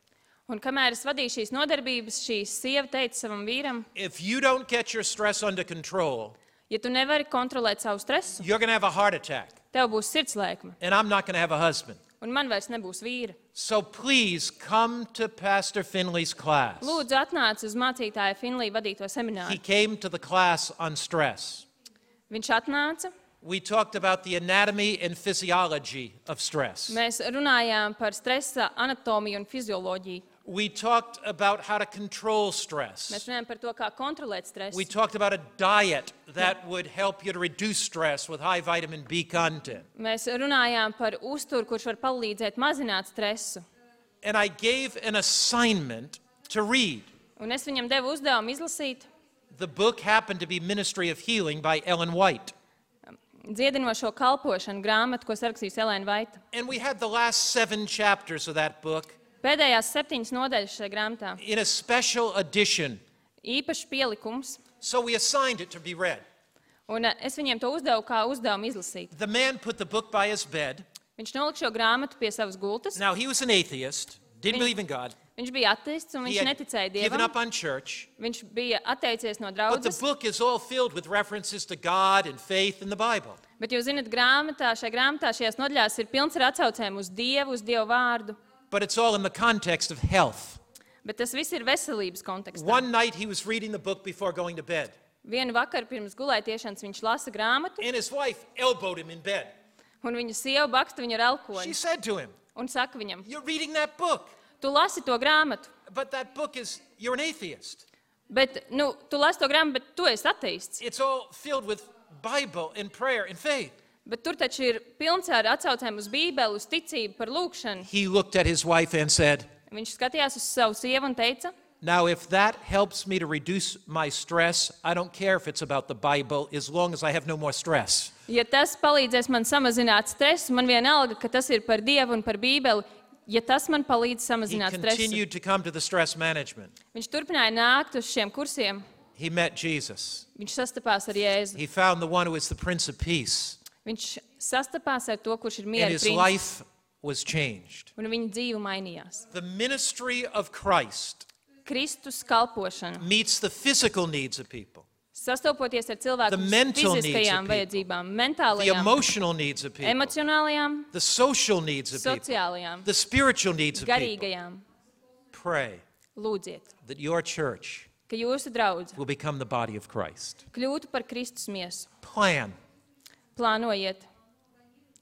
B: Un kamēr es vadīju šīs nodarbības, šī sieva teica savam vīram,
A: if you don't get your stress under control,
B: ja tu nevari kontrolēt savu stresu,
A: you're going to have a heart attack,
B: tev būs sirdslēkme,
A: and I'm not going to have a husband.
B: un man vairs nebūs vīra.
A: So please come to Pastor Finley's class.
B: Lūdzu, atnāc uz mācītāja Finlija vadīto
A: He
B: semināru.
A: came to the class on stress.
B: Viņš atnāca,
A: We talked about the anatomy and physiology of stress.
B: mēs runājām par stresa anatomiju un fizioloģiju.
A: We talked about how to control stress.
B: Mēs runājām par to, kā kontrolēt stresu.
A: We talked about a diet that would help you to reduce stress with high vitamin B content.
B: Mēs runājām par uzturu, kurš var palīdzēt mazināt stresu.
A: And I gave an assignment to read.
B: Un es viņam devu uzdevumu izlasīt
A: The book happened to be Ministry of Healing by Ellen White.
B: dziedinošo kalpošanu grāmatu, ko sarakstījusi Elēna Vaita.
A: And we had the last 7 chapters of that book
B: Pēdējās 7 nodaļas šajā grāmatā.
A: in a special edition.
B: Īpašs pielikums.
A: So we assigned it to be read.
B: Un es viņiem to uzdevu kā uzdevumu izlasīt.
A: The man put the book by his bed.
B: Viņš nolika šo grāmatu pie savas gultas.
A: Now, he was an atheist, didn't believe in God.
B: Viņš bija ateists un
A: He
B: viņš
A: had
B: neticēja
A: given up
B: Dievam.
A: on church.
B: Viņš bija atteicies no
A: But the
B: draudzes.
A: book is all filled with references to God and faith in the Bible.
B: Bet jūs zināt, šajā grāmatā, šajās nodaļās ir pilns ar atsaucēm uz Dievu, uz Dievu vārdu.
A: But it's all in the context of health.
B: Bet tas viss ir veselības kontekstā.
A: One night he was reading the book before going to bed,
B: Vienu vakaru pirms gulētiešanas viņš lasa grāmatu,
A: and his wife elbowed him in bed.
B: un viņa sieva baksta viņu ar
A: She
B: elkoņu
A: said to him,
B: un saka viņam,
A: you're reading that book,
B: tu lasi to grāmatu,
A: but that book you're an atheist.
B: bet, tu lasi to grāmatu, bet tu esi ateists.
A: It's all filled with Bible and prayer and faith.
B: Bet tur taču ir pilns ar atsaucēm uz Bībeli, uz ticību, par lūgšanu.
A: He looked at his wife and said,
B: Viņš skatījās uz savu sievu un teica,
A: now, if that helps me to reduce my stress, I don't care if it's about the Bible, as long as I have no more stress.
B: ja tas palīdzēs man samazināt stresu, man vienalga, ka tas ir par Dievu un par Bībeli, ja tas man palīdz
A: He
B: samazināt stresu.
A: continued to come to the stress management.
B: Viņš turpināja nākt uz šiem kursiem.
A: He met Jesus.
B: Viņš sastapās ar Jēzu.
A: He found the one who is the Prince of Peace,
B: Viņš sastapās ar to, kurš ir
A: and
B: miera
A: his
B: princis,
A: life was changed.
B: un viņa dzīve mainījās.
A: The ministry of Christ
B: Kristus kalpošana,
A: meets the physical needs of people,
B: sastopoties ar cilvēku
A: The mental needs
B: fiziskajām
A: of people.
B: vajadzībām,
A: the
B: mentālajām,
A: emotional needs of people,
B: emocionālajām,
A: the social needs of people,
B: sociālajām,
A: the spiritual needs of people.
B: garīgajām.
A: Pray
B: Lūdziet,
A: that your church
B: ka jūsu draudze
A: will become the body of Christ.
B: kļūtu par Kristus miesu.
A: Plan
B: Plānojiet,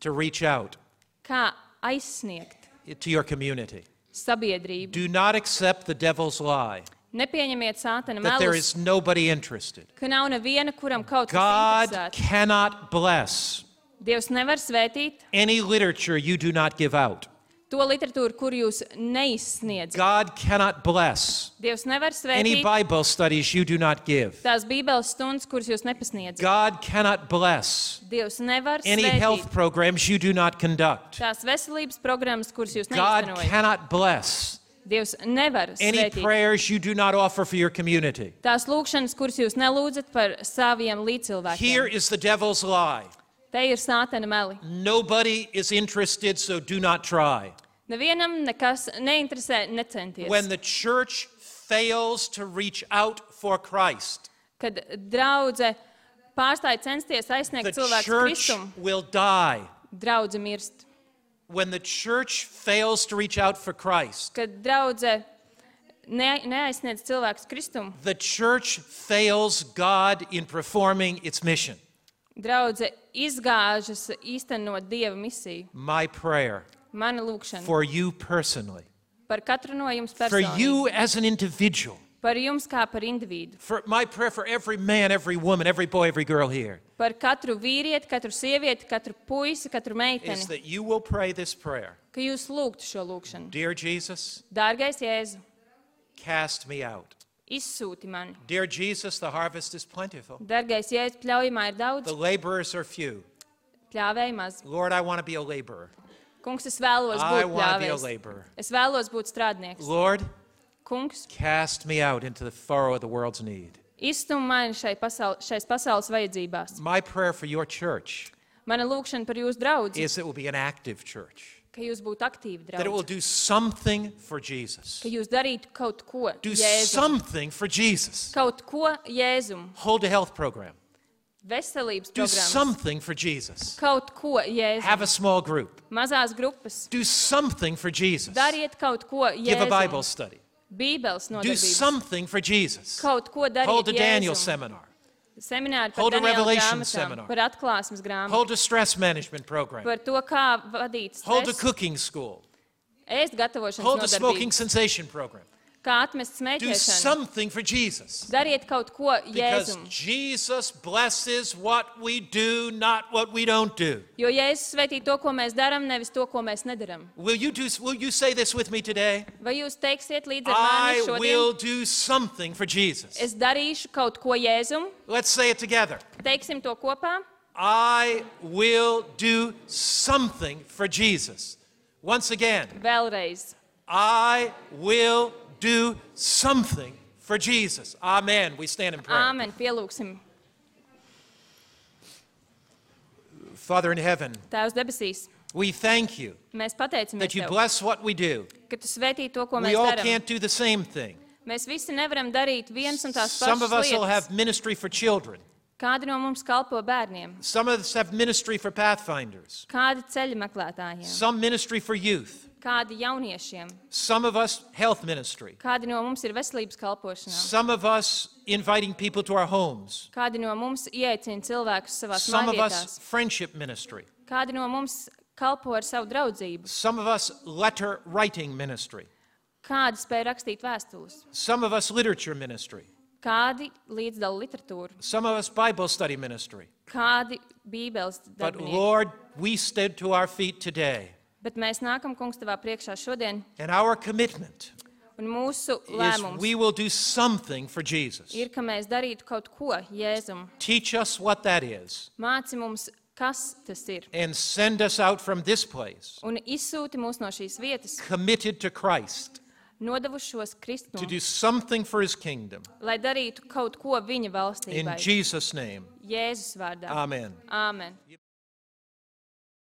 A: to reach out
B: kā aizsniegt
A: to your community.
B: sabiedrību.
A: Do not accept the devil's lie
B: Nepieņemiet sātana
A: that there
B: melus,
A: is nobody interested.
B: ka nav neviena, kuram kaut kas
A: God
B: interesēts.
A: cannot bless
B: Dievs nevar svētīt
A: any literature you do not give out.
B: to literatūru, kur jūs neizsniedzat.
A: God cannot bless
B: Dievs nevar
A: any
B: svētīt
A: Bible studies you do not give.
B: tās bībeles stundas, kuras jūs nepasniedzat.
A: God cannot bless
B: Dievs nevar
A: any health
B: svētīt
A: programs you do not conduct.
B: tās veselības programmas, kuras jūs
A: God
B: neiztenojat.
A: cannot bless
B: Dievs nevar
A: any
B: svētīt
A: prayers you do not offer for your community.
B: tās lūkšanas, kuras jūs nelūdzat par saviem
A: Here
B: līdzcilvēkiem.
A: is the devil's lie.
B: Te ir sātana meli.
A: Nobody is interested, so do not try.
B: Nevienam nekas neinteresē, necenties.
A: When the church fails to reach out for Christ,
B: Kad draudze pārstāja censties aizsniegt
A: the
B: cilvēku
A: church
B: Kristumu,
A: will die.
B: draudze mirst.
A: When the church fails to reach out for Christ,
B: Kad draudze neaizsniedz cilvēkus Kristumu,
A: the church fails God in performing its mission.
B: draudze izgāžas īstenot Dieva misiju.
A: My prayer
B: Mana lūkšana
A: for you personally,
B: par katru no jums
A: for
B: personīgi,
A: you as an individual,
B: par jums kā par individu,
A: for my prayer for every man, every woman, every boy, every girl here,
B: par katru vīrieti, katru sievieti, katru puisi, katru
A: is
B: meiteni,
A: that you will pray this prayer.
B: ka jūs lūgtu šo lūkšanu.
A: Dear Jesus,
B: Dārgais Jēzu,
A: cast me out.
B: izsūti mani.
A: Dear Jesus, the harvest is plentiful.
B: Dārgais Jēzu, pļaujamā ir daudz,
A: The laborers are few.
B: pļāvēji maz.
A: Lord, I want to be a laborer.
B: Kungs, es vēlos
A: I
B: būt
A: want to be a
B: pļāvējs.
A: laborer.
B: Es vēlos būt strādnieks.
A: Lord,
B: Kungs,
A: cast me out into the furrow of the world's need.
B: izstum mani šais pasaules vajadzībās.
A: My prayer for your church
B: Mana lūkšana par jūsu draudzi,
A: is that it will be an active church,
B: ka jūs būtu aktīvi
A: that it will
B: draudzi,
A: do something for Jesus.
B: ka jūs darītu kaut ko
A: Do
B: Jēzum.
A: something for Jesus.
B: Kaut ko Jēzum.
A: Hold a health program.
B: Veselības
A: Do
B: programmas.
A: something for Jesus.
B: Kaut ko Jēzum.
A: Have a small group.
B: Mazās grupas.
A: Do something for Jesus.
B: Dariet kaut ko
A: Give a Bible
B: Jēzum.
A: study.
B: Bībeles
A: Do
B: nodarbības.
A: something for Jesus.
B: Kaut ko darīt
A: Hold a Daniel
B: Jēzum.
A: seminar.
B: Semināri par
A: Hold a
B: Daniela
A: Revelation
B: grāmatām,
A: seminar.
B: par atklāsmes grāmatu,
A: Hold a stress management program.
B: par to, kā vadīt
A: Hold a
B: stresu,
A: cooking school.
B: ēst gatavošanas
A: Hold a smoking
B: nodarbības,
A: cessation program.
B: kā atmest
A: Do
B: smēķēšanu.
A: something for Jesus.
B: Dariet kaut ko
A: Because
B: Jēzum.
A: Jesus blesses what we do, not what we don't do.
B: Jo Jēzus svētī to, ko mēs darām, nevis to, ko mēs nedaram.
A: Will you say this with me today?
B: Vai jūs teiksiet līdz ar mani
A: I will
B: šodien?
A: do something for Jesus.
B: Es darīšu kaut ko Jēzum.
A: Let's say it together.
B: Teiksim to kopā.
A: I will do something for Jesus. Once again,
B: Vēlreiz.
A: I will do something for Jesus. Amen. We stand in prayer.
B: Āmen. Pielūksim.
A: Father in heaven,
B: Tēvs debesīs,
A: we thank you
B: mēs pateicamies
A: that you
B: Tev,
A: bless what we do.
B: ka Tu svētī to, ko
A: We
B: mēs
A: all
B: darām.
A: can't do the same thing.
B: Mēs visi nevaram darīt viens un tās
A: Some of
B: pašas
A: us will
B: lietas.
A: have ministry for children.
B: Kādi no mums kalpo bērniem?
A: Some of us have ministry for pathfinders.
B: Kādi ceļa meklētājiem?
A: Some ministry for youth.
B: Kādi jauniešiem?
A: Some of us health ministry.
B: Kādi no mums ir veselības kalpošanā?
A: Some of us inviting people to our homes.
B: Kādi no mums ieaicina cilvēkus savās
A: Some of us
B: mājvietās?
A: friendship ministry.
B: Kādi no mums kalpo ar savu draudzību?
A: Some of us letter writing ministry.
B: Kādi spēj rakstīt vēstules?
A: Some of us literature ministry.
B: Kādi līdzdala literatūru,
A: Some of us Bible study ministry.
B: kādi bībeles
A: But
B: darbinieki.
A: Lord, we stood to our feet today.
B: Bet mēs nākam, kungs, tavā priekšā šodien,
A: And our commitment
B: un mūsu
A: is
B: lēmums
A: we will do something for Jesus.
B: ir, ka mēs darītu kaut ko Jēzum.
A: Teach us what that is.
B: Māci mums, kas tas ir,
A: And send us out from this place,
B: un izsūti mūs no šīs vietas,
A: committed to Christ,
B: nodevušos
A: to
B: Kristu,
A: do something for his kingdom.
B: lai darītu kaut ko viņa
A: In
B: valstībai.
A: Jesus' name,
B: Jēzus vārdā.
A: amen.
B: Āmen.